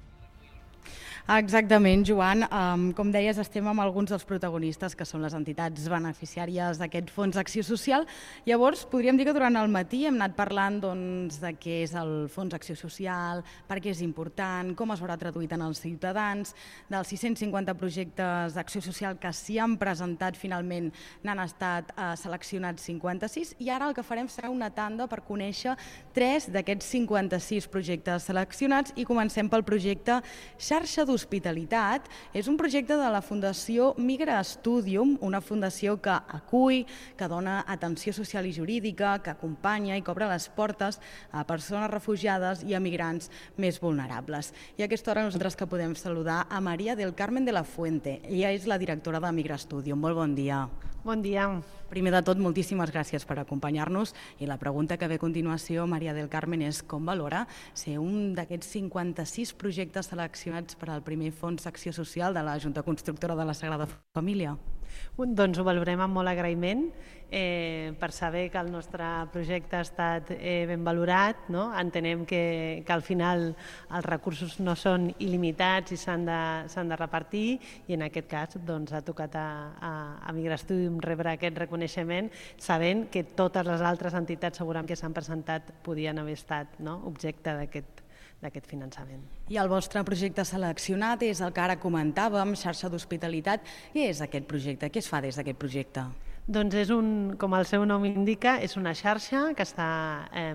S4: Exactament, Joan. Um, com deies, estem amb alguns dels protagonistes, que són les entitats beneficiàries d'aquest Fons d'Acció Social. Llavors, podríem dir que durant el matí hem anat parlant doncs, de què és el Fons d'Acció Social, per què és important, com es veurà traduït en els ciutadans. Dels sis-cents cinquanta projectes d'acció social que s'hi han presentat, finalment n'han estat eh, seleccionats cinquanta-sis, i ara el que farem serà una tanda per conèixer tres d'aquests cinquanta-sis projectes seleccionats, i comencem pel projecte Xarxa d'Hospitalitat. És un projecte de la Fundació Migra Studium, una fundació que acull, que dona atenció social i jurídica, que acompanya i que obre les portes a persones refugiades i a migrants més vulnerables. I a aquesta hora nosaltres que podem saludar a María del Carmen de la Fuente. Ella és la directora de Migra Studium. Molt bon dia.
S16: Bon dia.
S4: Primer de tot, moltíssimes gràcies per acompanyar-nos, i la pregunta que ve a continuació, María del Carmen, és com valora ser un d'aquests cinquanta-sis projectes seleccionats per al primer Fons d'Acció Social de la Junta Constructora de la Sagrada Família?
S16: Doncs ho valorem amb molt agraïment, eh, per saber que el nostre projecte ha estat eh, ben valorat, no? Entenem que, que al final els recursos no són il·limitats i s'han de, s'han de repartir, i en aquest cas doncs, ha tocat a, a, a Migra Studium rebre aquest reconeixement, sabent que totes les altres entitats segurament que s'han presentat podien haver estat, no? objecte d'aquest d'aquest finançament.
S4: I el vostre projecte seleccionat és el que ara comentàvem, Xarxa d'Hospitalitat. Què és aquest projecte? Què es fa des d'aquest projecte?
S16: Doncs és un, com el seu nom indica, és una xarxa que està, eh,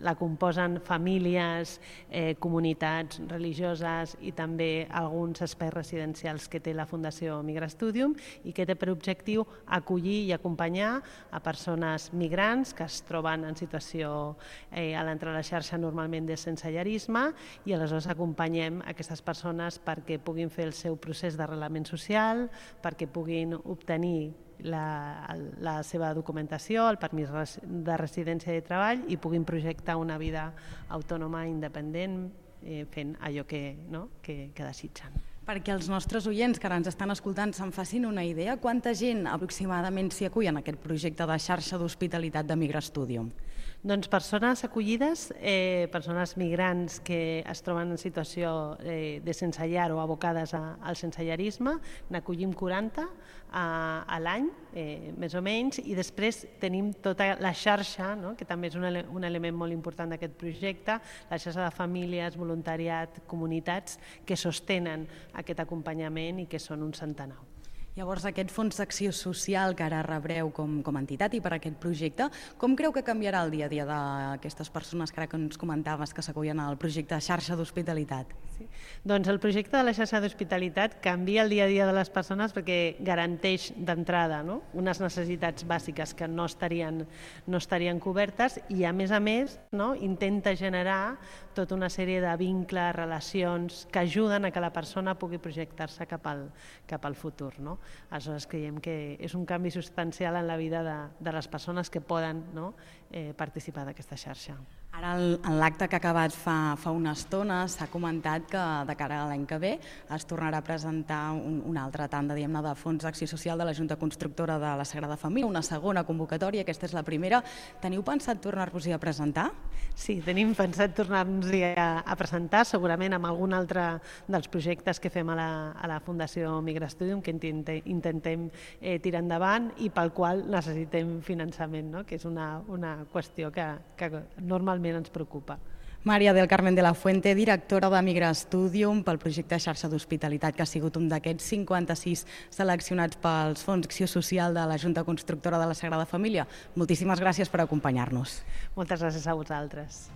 S16: la composen famílies, eh, comunitats religioses i també alguns espais residencials que té la Fundació Migra Studium, i que té per objectiu acollir i acompanyar a persones migrants que es troben en situació eh, a l'entrar a la xarxa normalment de sensellarisme, i aleshores acompanyem aquestes persones perquè puguin fer el seu procés d'arrelament social, perquè puguin obtenir La, la seva documentació, el permís de residència i de treball, i puguin projectar una vida autònoma, independent, eh, fent allò que, no? que, que desitgen.
S4: Perquè els nostres oients que ara ens estan escoltant se'n facin una idea, quanta gent aproximadament s'hi acull en aquest projecte de Xarxa d'Hospitalitat de Migra Studium?
S16: Doncs persones acollides, eh, persones migrants que es troben en situació eh, de sense llar o abocades a, al sensellarisme, n'acollim quaranta a, a l'any, eh, més o menys, i després tenim tota la xarxa, no? que també és un, ele un element molt important d'aquest projecte, la xarxa de famílies, voluntariat, comunitats, que sostenen aquest acompanyament i que són un centenar.
S4: Llavors, aquest Fons d'Acció Social que ara rebreu com, com a entitat i per aquest projecte, com creu que canviarà el dia a dia d'aquestes persones que ara que ens comentaves que s'acullen al projecte Xarxa d'Hospitalitat?
S16: Sí. Doncs el projecte de la Xarxa d'Hospitalitat canvia el dia a dia de les persones perquè garanteix d'entrada, no? unes necessitats bàsiques que no estarien, no estarien cobertes, i a més a més, no? intenta generar tota una sèrie de vincles, relacions que ajuden a que la persona pugui projectar-se cap al, cap al futur. No? Aleshores creiem que és un canvi substancial en la vida de, de les persones que poden, no? eh, participar d'aquesta xarxa.
S4: Ara, en l'acte que ha acabat fa, fa una estona, s'ha comentat que de cara a l'any que ve es tornarà a presentar un, una altra tanda, diguem-ne, de Fons d'Acció Social de la Junta Constructora de la Sagrada Família, una segona convocatòria, aquesta és la primera. Teniu pensat tornar-vos-hi a presentar?
S16: Sí, tenim pensat tornar-nos-hi a, a presentar, segurament amb algun altre dels projectes que fem a la, a la Fundació Migra Studium, que intentem, intentem eh, tirar endavant i pel qual necessitem finançament, no? que és una, una qüestió que, que normalment ens preocupa.
S4: María del Carmen de la Fuente, directora de Migra Studium pel projecte Xarxa d'Hospitalitat, que ha sigut un d'aquests cinquanta-sis seleccionats pels Fons d'Acció Social de la Junta Constructora de la Sagrada Família. Moltíssimes gràcies per acompanyar-nos.
S16: Moltes gràcies a vosaltres.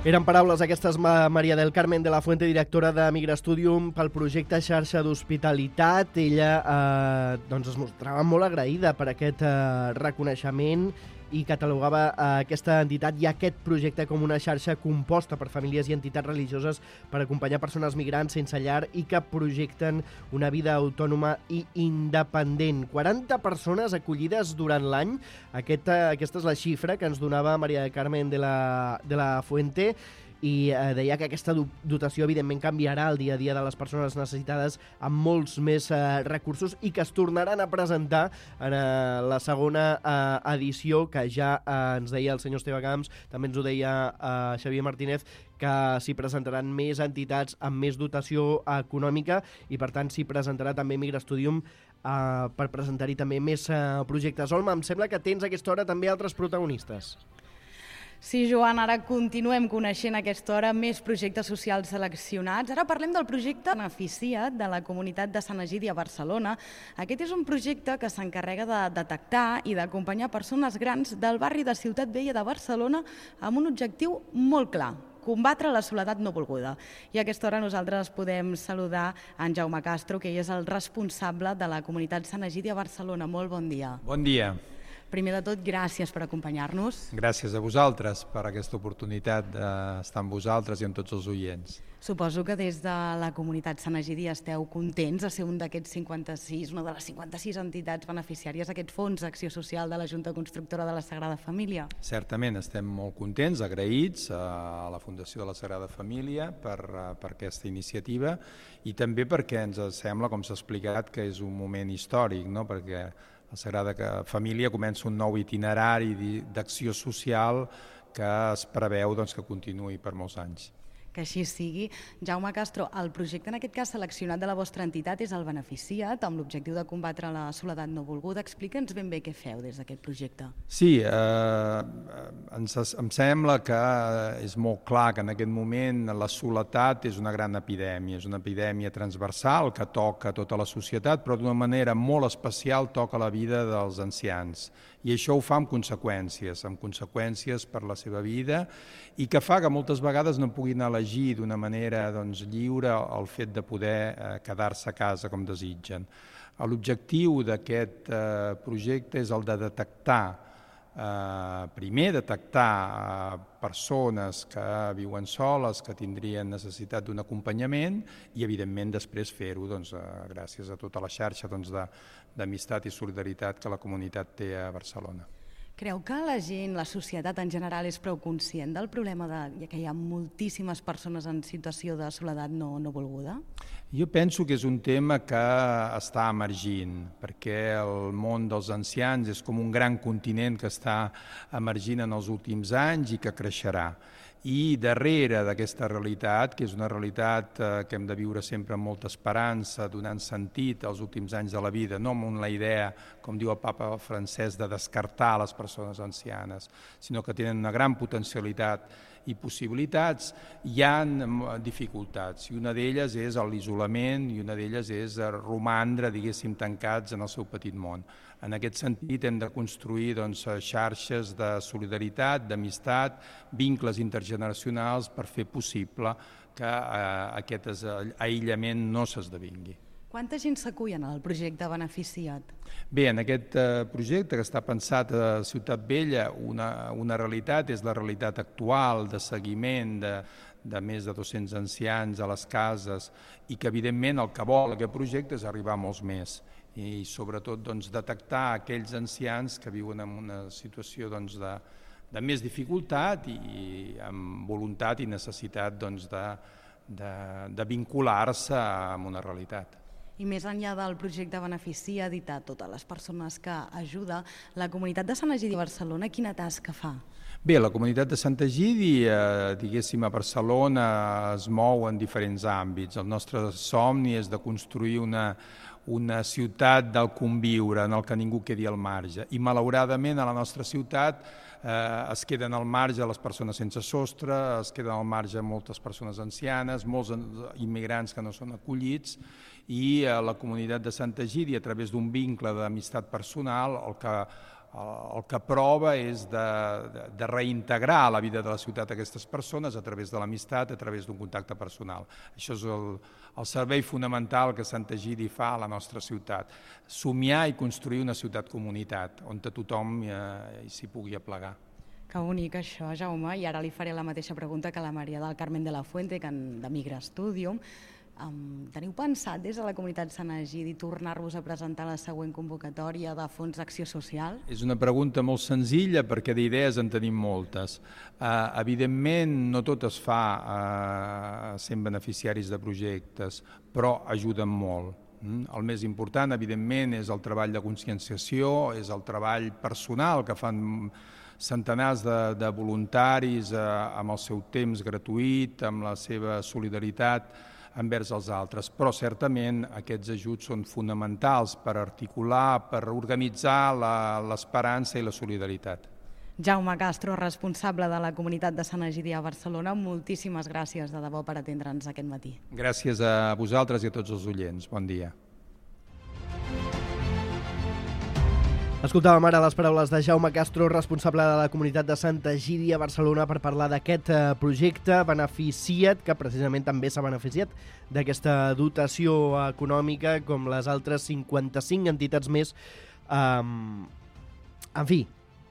S2: Eren paraules aquestes María del Carmen de la Fuente, directora de Migra Studium pel projecte Xarxa d'Hospitalitat. Ella eh, doncs es mostrava molt agraïda per aquest eh, reconeixement i catalogava eh, aquesta entitat i aquest projecte com una xarxa composta per famílies i entitats religioses per acompanyar persones migrants sense llar i que projecten una vida autònoma i independent. quaranta persones acollides durant l'any. Aquesta, aquesta és la xifra que ens donava María del Carmen de la, de la Fuente. i eh, deia que aquesta dotació evidentment canviarà el dia a dia de les persones necessitades amb molts més eh, recursos i que es tornaran a presentar en eh, la segona eh, edició, que ja eh, ens deia el senyor Esteve Camps, també ens ho deia eh, Xavier Martínez, que s'hi presentaran més entitats amb més dotació econòmica i per tant s'hi presentarà també Migrastudium Uh, per presentar-hi també més uh, projectes. Olma, em sembla que tens a aquesta hora també altres protagonistes.
S4: Sí, Joan, ara continuem coneixent a aquesta hora més projectes socials seleccionats. Ara parlem del projecte Beneficia't de la comunitat de Sant Egidi a Barcelona. Aquest és un projecte que s'encarrega de detectar i d'acompanyar persones grans del barri de Ciutat Vella de Barcelona amb un objectiu molt clar: combatre la soledat no volguda. I a aquesta hora nosaltres podem saludar en Jaume Castro, que és el responsable de la comunitat Sant Egidi a Barcelona. Molt bon dia.
S17: Bon dia.
S4: Primer de tot, gràcies per acompanyar-nos.
S17: Gràcies a vosaltres per aquesta oportunitat d'estar amb vosaltres i amb tots els oients.
S4: Suposo que des de la comunitat Sant Egidi esteu contents de ser un d'aquests cinquanta-sis, una de les cinquanta-sis entitats beneficiàries d'aquest fons d'acció social de la Junta Constructora de la Sagrada Família.
S17: Certament, estem molt contents, agraïts a la Fundació de la Sagrada Família per, per aquesta iniciativa i també perquè ens sembla, com s'ha explicat, que és un moment històric, no? Perquè la Sagrada Família comença un nou itinerari d'acció social que es preveu doncs, que continuï per molts anys.
S4: Que així sigui. Jaume Castro, el projecte en aquest cas seleccionat de la vostra entitat és el Beneficia't, amb l'objectiu de combatre la soledat no volguda. Explica'ns ben bé què feu des d'aquest projecte.
S17: Sí, eh, ens, em sembla que és molt clar que en aquest moment la soledat és una gran epidèmia, és una epidèmia transversal que toca tota la societat, però d'una manera molt especial toca la vida dels ancians. I això ho fa amb conseqüències, amb conseqüències per la seva vida i que fa que moltes vegades no puguin elegir d'una manera doncs, lliure el fet de poder eh, quedar-se a casa com desitgen. L'objectiu d'aquest eh, projecte és el de detectar, eh, primer detectar eh, persones que viuen soles, que tindrien necessitat d'un acompanyament i evidentment després fer-ho doncs, eh, gràcies a tota la xarxa doncs, de d'amistat i solidaritat que la comunitat té a Barcelona.
S4: Creu que la gent, la societat en general, és prou conscient del problema de que hi ha moltíssimes persones en situació de soledat no, no volguda?
S17: Jo penso que és un tema que està emergint, perquè el món dels ancians és com un gran continent que està emergint en els últims anys i que creixerà. I darrere d'aquesta realitat, que és una realitat que hem de viure sempre amb molta esperança, donant sentit als últims anys de la vida, no amb la idea, com diu el papa francès, de descartar les persones ancianes, sinó que tenen una gran potencialitat i possibilitats, hi ha dificultats, i una d'elles és l'isolament i una d'elles és romandre, diguéssim, tancats en el seu petit món. En aquest sentit hem de construir doncs, xarxes de solidaritat, d'amistat, vincles intergeneracionals per fer possible que eh, aquest aïllament no s'esdevingui.
S4: Quanta gent s'acull en el projecte Beneficia't?
S17: Bé, en aquest projecte que està pensat a Ciutat Vella, una, una realitat és la realitat actual de seguiment de, de més de dos-cents ancians a les cases i que evidentment el que vol aquest projecte és arribar a molts més i sobretot doncs, detectar aquells ancians que viuen en una situació doncs, de, de més dificultat i, i amb voluntat i necessitat doncs, de, de, de vincular-se amb una realitat.
S4: I més enllà del projecte Beneficia't i de totes les persones que ajuda, la comunitat de Sant Egidi a Barcelona quina tasca fa?
S17: Bé, la comunitat de Sant Egidi, eh, diguéssim, a Barcelona es mou en diferents àmbits. El nostre somni és de construir una, una ciutat del conviure en el que ningú quedi al marge. I malauradament a la nostra ciutat eh, es queden al marge les persones sense sostre, es queden al marge moltes persones ancianes, molts immigrants que no són acollits i eh, la comunitat de Sant Egidi, a través d'un vincle d'amistat personal, el que el que prova és de, de, de reintegrar la vida de la ciutat a aquestes persones a través de l'amistat, a través d'un contacte personal. Això és el, el servei fonamental que Sant Egidi fa a la nostra ciutat. Somiar i construir una ciutat-comunitat on tothom eh, s'hi pugui aplegar.
S4: Que bonic això, Jaume, i ara li faré la mateixa pregunta que la Maria del Carmen de la Fuente, que en, de Migrastudium. Um, teniu pensat des de la comunitat Sant Egidi tornar-vos a presentar la següent convocatòria de Fons d'Acció Social?
S17: És una pregunta molt senzilla perquè d'idees en tenim moltes. Uh, evidentment no tot es fa uh, sent beneficiaris de projectes, però ajuden molt. Mm? El més important, evidentment, és el treball de conscienciació, és el treball personal que fan centenars de, de voluntaris eh, amb el seu temps gratuït, amb la seva solidaritat envers els altres, però certament aquests ajuts són fonamentals per articular, per organitzar l'esperança i la solidaritat.
S4: Jaume Castro, responsable de la comunitat de Sant Egidi a Barcelona, moltíssimes gràcies de debò per atendre'ns aquest matí.
S17: Gràcies a vosaltres i a tots els oients. Bon dia.
S2: Escoltàvem ara les paraules de Jaume Castro, responsable de la comunitat de Sant Egidi a Barcelona, per parlar d'aquest projecte Beneficia't, que precisament també s'ha beneficiat d'aquesta dotació econòmica, com les altres cinquanta-cinc entitats més. Um, en fi,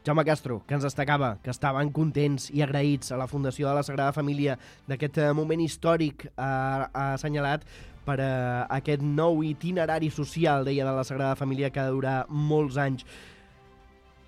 S2: Jaume Castro, que ens destacava que estaven contents i agraïts a la Fundació de la Sagrada Família d'aquest moment històric, ha, ha assenyalat per a aquest nou itinerari social, deia, de la Sagrada Família, que ha de durar molts anys.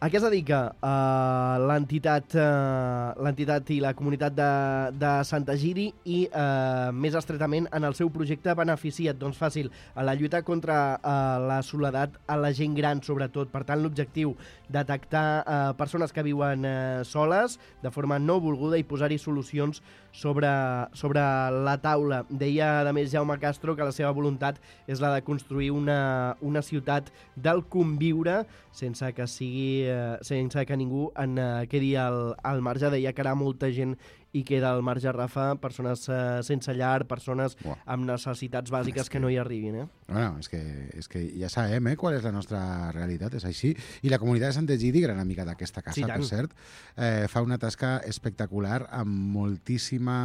S2: A què es dedica uh, l'entitat uh, l'entitat i la comunitat de, de Sant Egidi i, uh, més estretament, en el seu projecte Beneficia't? Doncs fàcil, a la lluita contra uh, la soledat a la gent gran, sobretot. Per tant, l'objectiu, detectar uh, persones que viuen uh, soles de forma no volguda i posar-hi solucions sobre, sobre la taula. Deia, a més, Jaume Castro, que la seva voluntat és la de construir una, una ciutat del conviure sense que sigui sense que ningú en quedi al, al marge. Deia que ara molta gent hi queda al marge, Rafa, persones uh, sense llar, persones Uah. amb necessitats bàsiques que... que no hi arribin. Eh?
S5: Bueno, és que, és que ja sabem eh, qual és la nostra realitat, és així. I la comunitat de Sant Egidi, gran amiga d'aquesta casa, sí, per cert, eh, fa una tasca espectacular amb moltíssima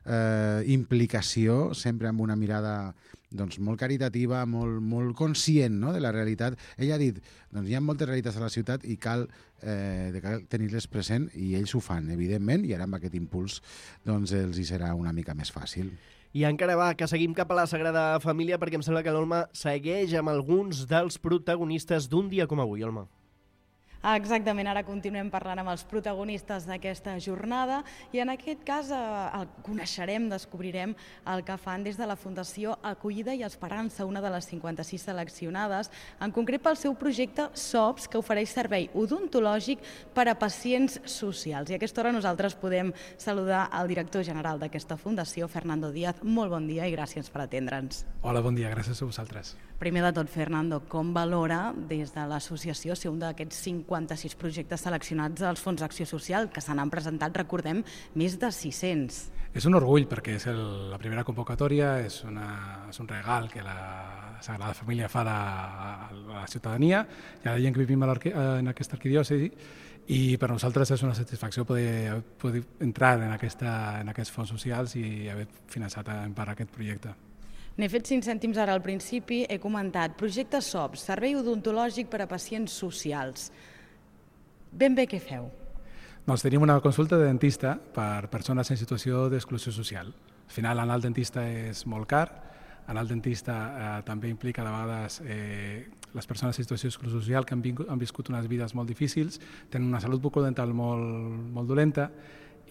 S5: eh, implicació, sempre amb una mirada doncs, molt caritativa, molt, molt conscient, no?, de la realitat. Ella ha dit, doncs hi ha moltes realitats a la ciutat i cal, eh, cal tenir-les present, i ells ho fan, evidentment, i ara amb aquest impuls doncs, els hi serà una mica més fàcil.
S2: I encara va, que seguim cap a la Sagrada Família, perquè em sembla que l'Olma segueix amb alguns dels protagonistes d'un dia com avui, Olma.
S4: Exactament, ara continuem parlant amb els protagonistes d'aquesta jornada i en aquest cas eh, el coneixerem, descobrirem el que fan des de la Fundació Acollida i Esperança, una de les cinquanta-sis seleccionades, en concret pel seu projecte S O P S, que ofereix servei odontològic per a pacients socials. I a aquesta hora nosaltres podem saludar el director general d'aquesta fundació, Fernando Díaz. Molt bon dia i gràcies per atendre'ns.
S18: Hola, bon dia, gràcies a vosaltres.
S4: Primer de tot, Fernando, com valora des de l'associació ser un d'aquests cinquanta-sis projectes seleccionats dels Fons d'Acció Social, que se n'han presentat, recordem, més de sis-cents?
S18: És un orgull perquè és el, la primera convocatòria, és, una, és un regal que la Sagrada Família fa a la, a la ciutadania i a la gent que vivim en aquesta arquidiòcesi, i per nosaltres és una satisfacció poder, poder entrar en, aquesta, en aquests fons socials i haver finançat en part aquest projecte.
S4: N'he fet cinc cèntims ara al principi, he comentat projecte S O P S, servei odontològic per a pacients socials. Ben bé què feu?
S18: Doncs tenim una consulta de dentista per persones en situació d'exclusió social. Al final anar al dentista és molt car, anar al dentista eh, també implica de vegades eh, les persones en situació d'exclusió social que han, vingut, han viscut unes vides molt difícils, tenen una salut bucodental molt, molt dolenta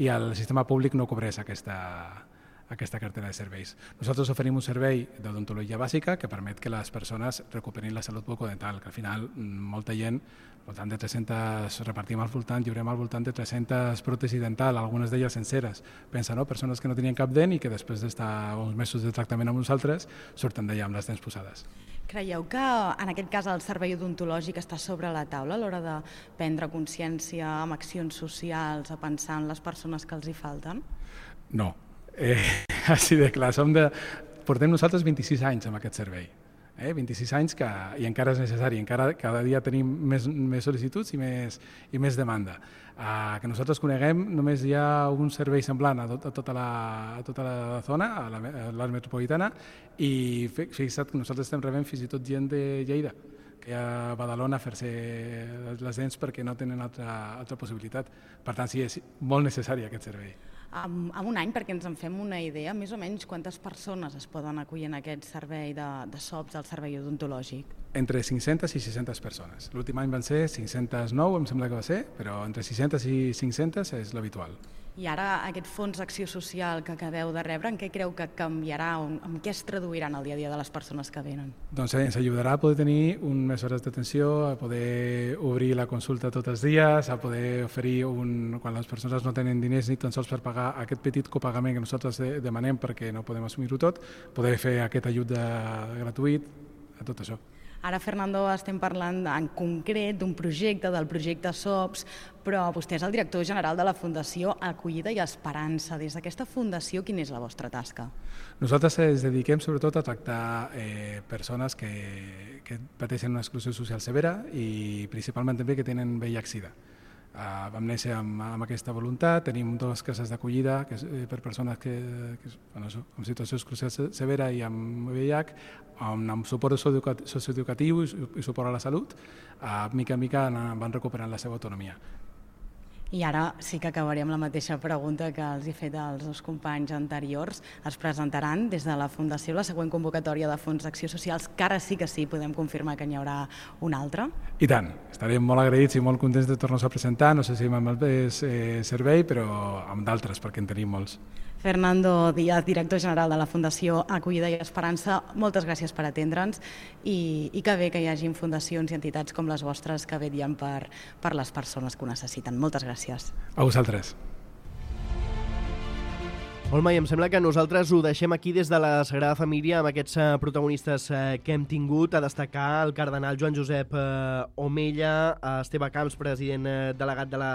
S18: i el sistema públic no cobreix aquesta aquesta cartera de serveis. Nosaltres oferim un servei d'odontologia bàsica que permet que les persones recuperin la salut bucodental, que al final molta gent, al voltant de tres-centes, repartim al voltant, lliurem al voltant de tres-centes pròtesis dental, algunes d'elles senceres. Pensa, no?, persones que no tenien cap dent i que després d'estar uns mesos de tractament amb nosaltres surten d'allà amb les dents posades.
S4: Creieu que en aquest cas el servei odontològic està sobre la taula a l'hora de prendre consciència amb accions socials, a pensar en les persones que els hi falten?
S18: No. Eh, així de clar, som de... portem nosaltres vint-i-sis anys amb aquest servei, eh? vint-i-sis anys que, i encara és necessari, encara cada dia tenim més, més sol·licituds i més, i més demanda. Uh, que nosaltres coneguem, només hi ha un servei semblant a, tot, a, tota, la, a tota la zona, a l'àrea metropolitana, i fixa't que nosaltres estem rebent fins i tot gent de Lleida, que hi ha a Badalona a fer-se les dents perquè no tenen altra, altra possibilitat. Per tant, sí, és molt necessari aquest servei.
S4: en, en un any, perquè ens en fem una idea, més o menys quantes persones es poden acollir en aquest servei de, de S O Ps, el servei odontològic?
S18: Entre cinc-centes i sis-centes persones. L'últim any van ser cinc-centes nou, em sembla que va ser, però entre sis-centes i cinc-centes és l'habitual.
S4: I ara aquest fons d'acció social que acabeu de rebre, en què creu que canviarà, o en què es traduirà en el dia a dia de les persones que venen?
S18: Doncs ens ajudarà a poder tenir un més hores d'atenció, a poder obrir la consulta tots els dies, a poder oferir, un, quan les persones no tenen diners ni tan sols per pagar aquest petit copagament que nosaltres demanem perquè no podem assumir-ho tot, poder fer aquest ajut de, gratuït, a tot això.
S4: Ara, Fernando, estem parlant en concret d'un projecte, del projecte S O Ps, però vostè és el director general de la Fundació Acollida i Esperança. Des d'aquesta fundació, quina és la vostra tasca?
S18: Nosaltres ens dediquem sobretot a tractar eh, persones que, que pateixen una exclusió social severa i principalment també que tenen V I H SIDA. Uh, vam néixer amb, amb aquesta voluntat, tenim dues cases d'acollida eh, per persones que, que bueno, això, amb situació d'exclusió severa i amb V I H, amb, amb suport socioeducatiu i, i suport a la salut, uh, mica en mica van recuperant la seva autonomia.
S4: I ara sí que acabaré amb la mateixa pregunta que els he fet als dos companys anteriors. Es presentaran des de la Fundació la següent convocatòria de fons d'acció socials, que ara sí que sí, podem confirmar que n'hi haurà una altra?
S18: I tant, estarem molt agraïts i molt contents de tornar-nos a presentar, no sé si amb el mateix eh, servei, però amb d'altres, perquè en tenim molts.
S4: Fernando Díaz, director general de la Fundació Acollida i Esperança, moltes gràcies per atendre'ns i, i que bé que hi hagin fundacions i entitats com les vostres que vetllen per, per les persones que ho necessiten. Moltes gràcies.
S18: A vosaltres.
S2: Olma, i em sembla que nosaltres ho deixem aquí des de la Sagrada Família amb aquests uh, protagonistes uh, que hem tingut, a destacar el cardenal Joan Josep uh, Omella, uh, Esteve Camps, president uh, delegat de la,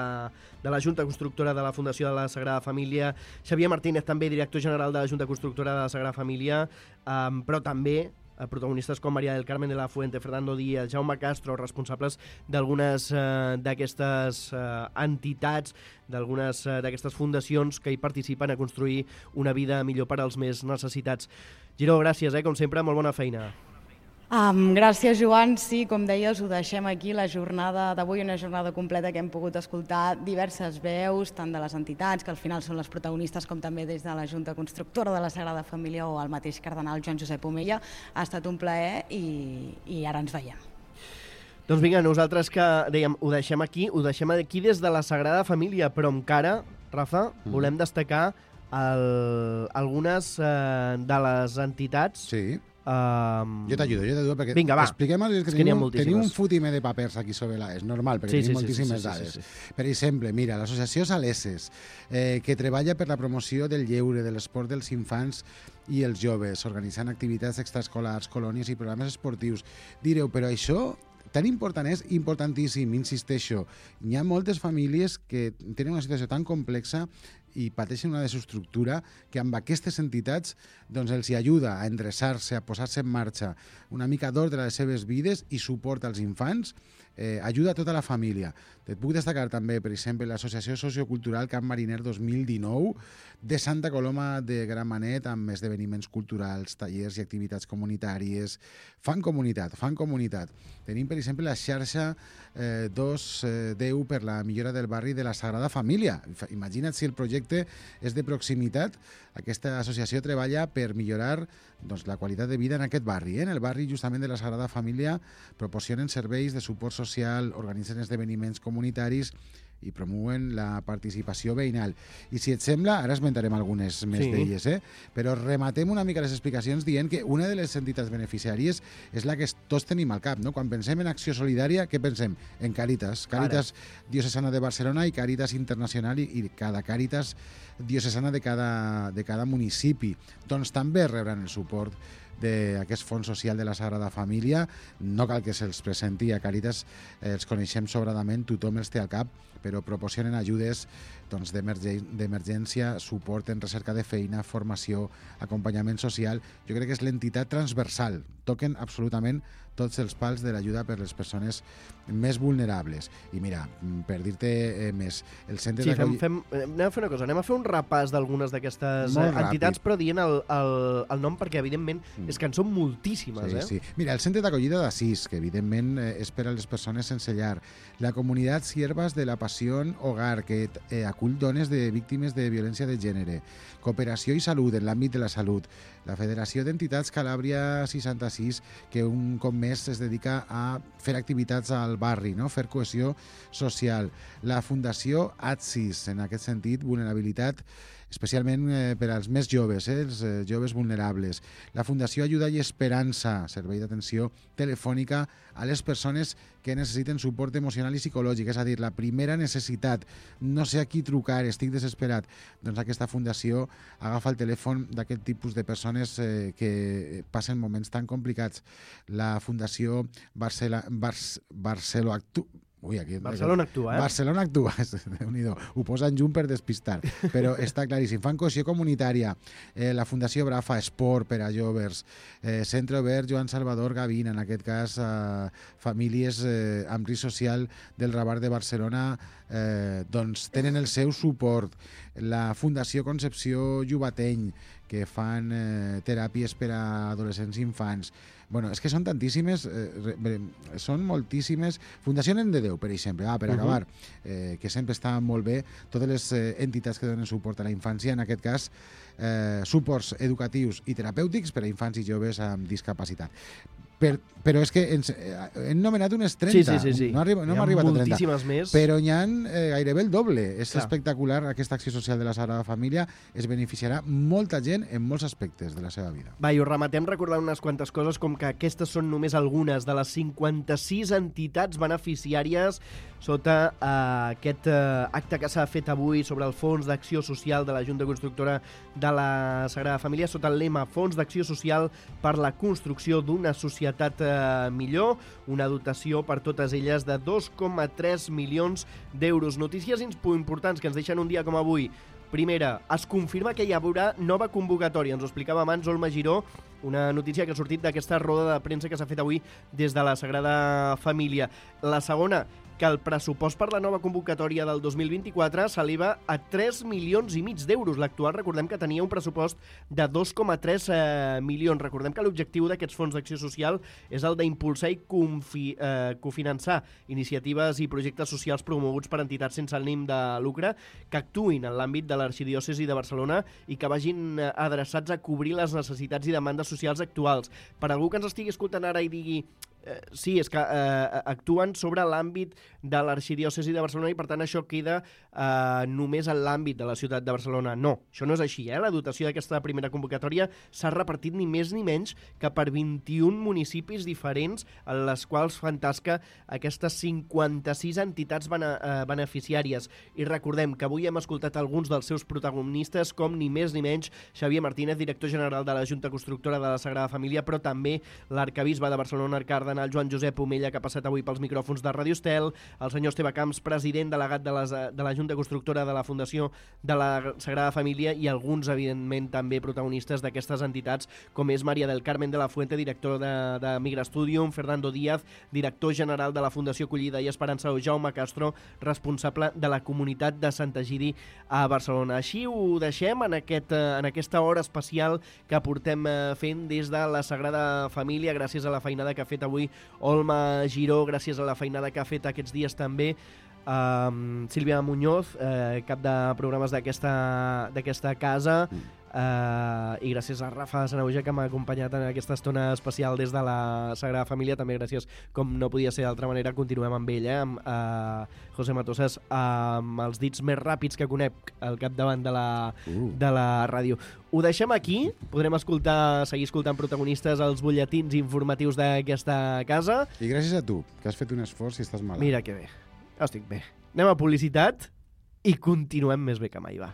S2: de la Junta Constructora de la Fundació de la Sagrada Família, Xavier Martínez, també director general de la Junta Constructora de la Sagrada Família, um, però també protagonistes com Maria del Carmen de la Fuente, Fernando Díaz, Jaume Castro, responsables d'algunes eh, d'aquestes eh, entitats, d'algunes eh, d'aquestes fundacions que hi participen a construir una vida millor per als més necessitats. Giró, gràcies, eh, com sempre, molt bona feina.
S4: Um, gràcies, Joan. Sí, com deies, ho deixem aquí, la jornada d'avui, una jornada completa que hem pogut escoltar diverses veus, tant de les entitats, que al final són les protagonistes, com també des de la Junta Constructora de la Sagrada Família o el mateix cardenal Joan Josep Omella. Ha estat un plaer i, i ara ens veiem.
S2: Doncs vinga, nosaltres que dèiem, ho deixem aquí, ho deixem aquí des de la Sagrada Família, però encara, Rafa, mm. volem destacar el, algunes eh, de les entitats.
S5: Sí.
S2: Um...
S5: Jo t'ajudo, jo t'ajudo, perquè
S2: Vinga, va.
S5: expliquem que, que tenim, tenim un fotimer de papers aquí sobre la... És normal, perquè
S2: sí,
S5: tenim
S2: sí,
S5: moltíssimes
S2: sí, sí,
S5: dades.
S2: sí, sí, sí.
S5: Per exemple, mira, l'associació Saleses, eh, que treballa per la promoció del lleure, de l'esport dels infants i els joves, organitzant activitats extraescolars, colònies i programes esportius. Direu, però això tan important és importantíssim, insisteixo. Hi ha moltes famílies que tenen una situació tan complexa i pateixen una desestructura que amb aquestes entitats doncs, els hi ajuda a endreçar-se, a posar-se en marxa una mica d'ordre a les seves vides i suport als infants, eh, ajuda a tota la família. Et puc destacar també, per exemple, l'Associació Sociocultural Camp Mariner dos mil dinou de Santa Coloma de Gramenet amb esdeveniments culturals, tallers i activitats comunitàries. Fan comunitat, fan comunitat. Tenim, per exemple, la xarxa eh, dos deu per la millora del barri de la Sagrada Família. Imagina't si el projecte és de proximitat. Aquesta associació treballa per millorar doncs, la qualitat de vida en aquest barri. Eh? En el barri justament de la Sagrada Família proporcionen serveis de suport social, organitzen esdeveniments comunitaris i promouen la participació veïnal. I si et sembla, ara esmentarem algunes més sí. d'elles, eh? però rematem una mica les explicacions dient que una de les entitats beneficiàries és la que tots tenim al cap. No? Quan pensem en acció solidària, què pensem? En Càritas. Càritas Diocesana de Barcelona i Càritas Internacional i, i cada Càritas diocesana de cada, de cada municipi. Doncs també rebran el suport d'aquest fons social de la Sagrada Família. No cal que se'ls presenti a Càritas, eh, els coneixem sobradament, tothom els té al cap, però proporcionen ajudes doncs, d'emergència, suport en recerca de feina, formació, acompanyament social. Jo crec que és l'entitat transversal. Toquen absolutament tots els pals de l'ajuda per les persones més vulnerables. I mira, per dir-te eh, més, el centre
S2: sí,
S5: d'acollida...
S2: Fem, fem, anem a fer una cosa, anem a fer un repàs d'algunes d'aquestes entitats, però dient el, el, el nom, perquè evidentment mm. És que en són moltíssimes,
S5: sí,
S2: eh?
S5: Sí. Mira, el centre d'acollida d'Assís, que evidentment eh, és per a les persones sense llar. La comunitat Siervas de la Passió Hogar, que eh, acull dones de víctimes de violència de gènere. Cooperació i salut en l'àmbit de la salut. La Federació d'Entitats Calàbria seixanta-sis, que un cop més es dedica a fer activitats al barri, no? Fer cohesió social. La Fundació ATSIS, en aquest sentit, vulnerabilitat, especialment eh, per als més joves, eh, els eh, joves vulnerables. La Fundació Ajuda i Esperança, servei d'atenció telefònica a les persones que necessiten suport emocional i psicològic, és a dir, la primera necessitat. No sé a qui trucar, estic desesperat. Doncs aquesta fundació agafa el telèfon d'aquest tipus de persones eh, que passen moments tan complicats. La Fundació Barcela, Bar- Barcelo Actu... Ui, aquí,
S2: Barcelona Actua, eh?
S5: Barcelona Actua, Déu-n'hi-do. Ho posen junt per despistar, però està claríssim. Fan cohesió comunitària, eh, la Fundació Brafa, Esport per a joves, eh, Centre Obert Joan Salvador Gavina, en aquest cas eh, famílies eh, amb risc social del Rabar de Barcelona, eh, doncs tenen el seu suport. La Fundació Concepció Llubateny, que fan eh, teràpies per a adolescents i infants. Bueno, és que són tantíssimes, eh, són moltíssimes. Fundació Nen de Déu, per exemple, ah, per uh -huh. acabar, eh, que sempre està molt bé, totes les eh, entitats que donen suport a la infància, en aquest cas, eh, suports educatius i terapèutics per a infants i joves amb discapacitat. Per, però és que ens, eh, hem nomenat unes trenta,
S2: sí, sí, sí.
S5: no, arriba, no
S2: Hi
S5: hem
S2: ha
S5: arribat a trenta,
S2: moltíssimes més.
S5: però n'hi ha eh, gairebé el doble. És
S2: Clar.
S5: espectacular aquesta acció social de la Sagrada Família, es beneficiarà molta gent en molts aspectes de la seva vida.
S2: Va, i ho rematem recordant unes quantes coses, com que aquestes són només algunes de les cinquanta-sis entitats beneficiàries sota eh, aquest eh, acte que s'ha fet avui sobre el Fons d'Acció Social de la Junta Constructora de la Sagrada Família, sota el lema Fons d'Acció Social per la construcció d'una societat eh, millor, una dotació per totes elles de dos coma tres milions d'euros. Notícies importants que ens deixen un dia com avui. Primera, es confirma que hi haurà nova convocatòria. Ens ho explicava abans Olma Giró, una notícia que ha sortit d'aquesta roda de premsa que s'ha fet avui des de la Sagrada Família. La segona, que el pressupost per la nova convocatòria del dos mil vint-i-quatre s'eleva a tres milions i mig d'euros. L'actual, recordem que tenia un pressupost de dos coma tres eh, milions. Recordem que l'objectiu d'aquests fons d'acció social és el d'impulsar i confi, eh, cofinançar iniciatives i projectes socials promoguts per entitats sense ànim de lucre que actuïn en l'àmbit de l'arxidiòcesi de Barcelona i que vagin adreçats a cobrir les necessitats i demandes socials actuals. Per algú que ens estigui escoltant ara i digui Eh, sí, és que eh, actuen sobre l'àmbit de l'arxidiòcesi de Barcelona i per tant això queda eh, només en l'àmbit de la ciutat de Barcelona. No, això no és així. Eh? La dotació d'aquesta primera convocatòria s'ha repartit ni més ni menys que per vint-i-un municipis diferents en les quals fan tasca aquestes cinquanta-sis entitats bene, eh, beneficiàries. I recordem que avui hem escoltat alguns dels seus protagonistes com ni més ni menys Xavier Martínez, director general de la Junta Constructora de la Sagrada Família, però també l'arcabisbe de Barcelona, Arcard, el Joan Josep Omella, que ha passat avui pels micròfons de Radio Estel, el senyor Esteve Camps, president delegat de, les, de la Junta Constructora de la Fundació de la Sagrada Família i alguns, evidentment, també protagonistes d'aquestes entitats, com és Maria del Carmen de la Fuente, director de, de Migra Studium, Fernando Díaz, director general de la Fundació Acollida i Esperança, o Jaume Castro, responsable de la comunitat de Sant Egidi a Barcelona. Així ho deixem en, aquest, en aquesta hora especial que portem fent des de la Sagrada Família, gràcies a la feinada que ha fet avui Olma Giró, gràcies a la feinada que ha fet aquests dies també um, Sílvia Muñoz, eh, cap de programes d'aquesta d'aquesta casa, Uh, i gràcies a Rafa Sanauja, que m'ha acompanyat en aquesta estona especial des de la Sagrada Família. També gràcies, com no podia ser d'altra manera, continuem amb ell, eh? amb uh, José Matosas, amb els dits més ràpids que conec al capdavant de la, uh. de la ràdio. Ho deixem aquí, podrem escoltar, seguir escoltant protagonistes als butlletins informatius d'aquesta casa.
S5: I gràcies a tu, que has fet un esforç i estàs malalt.
S2: Mira que bé, estic bé. Anem a publicitat i continuem més bé que mai, va.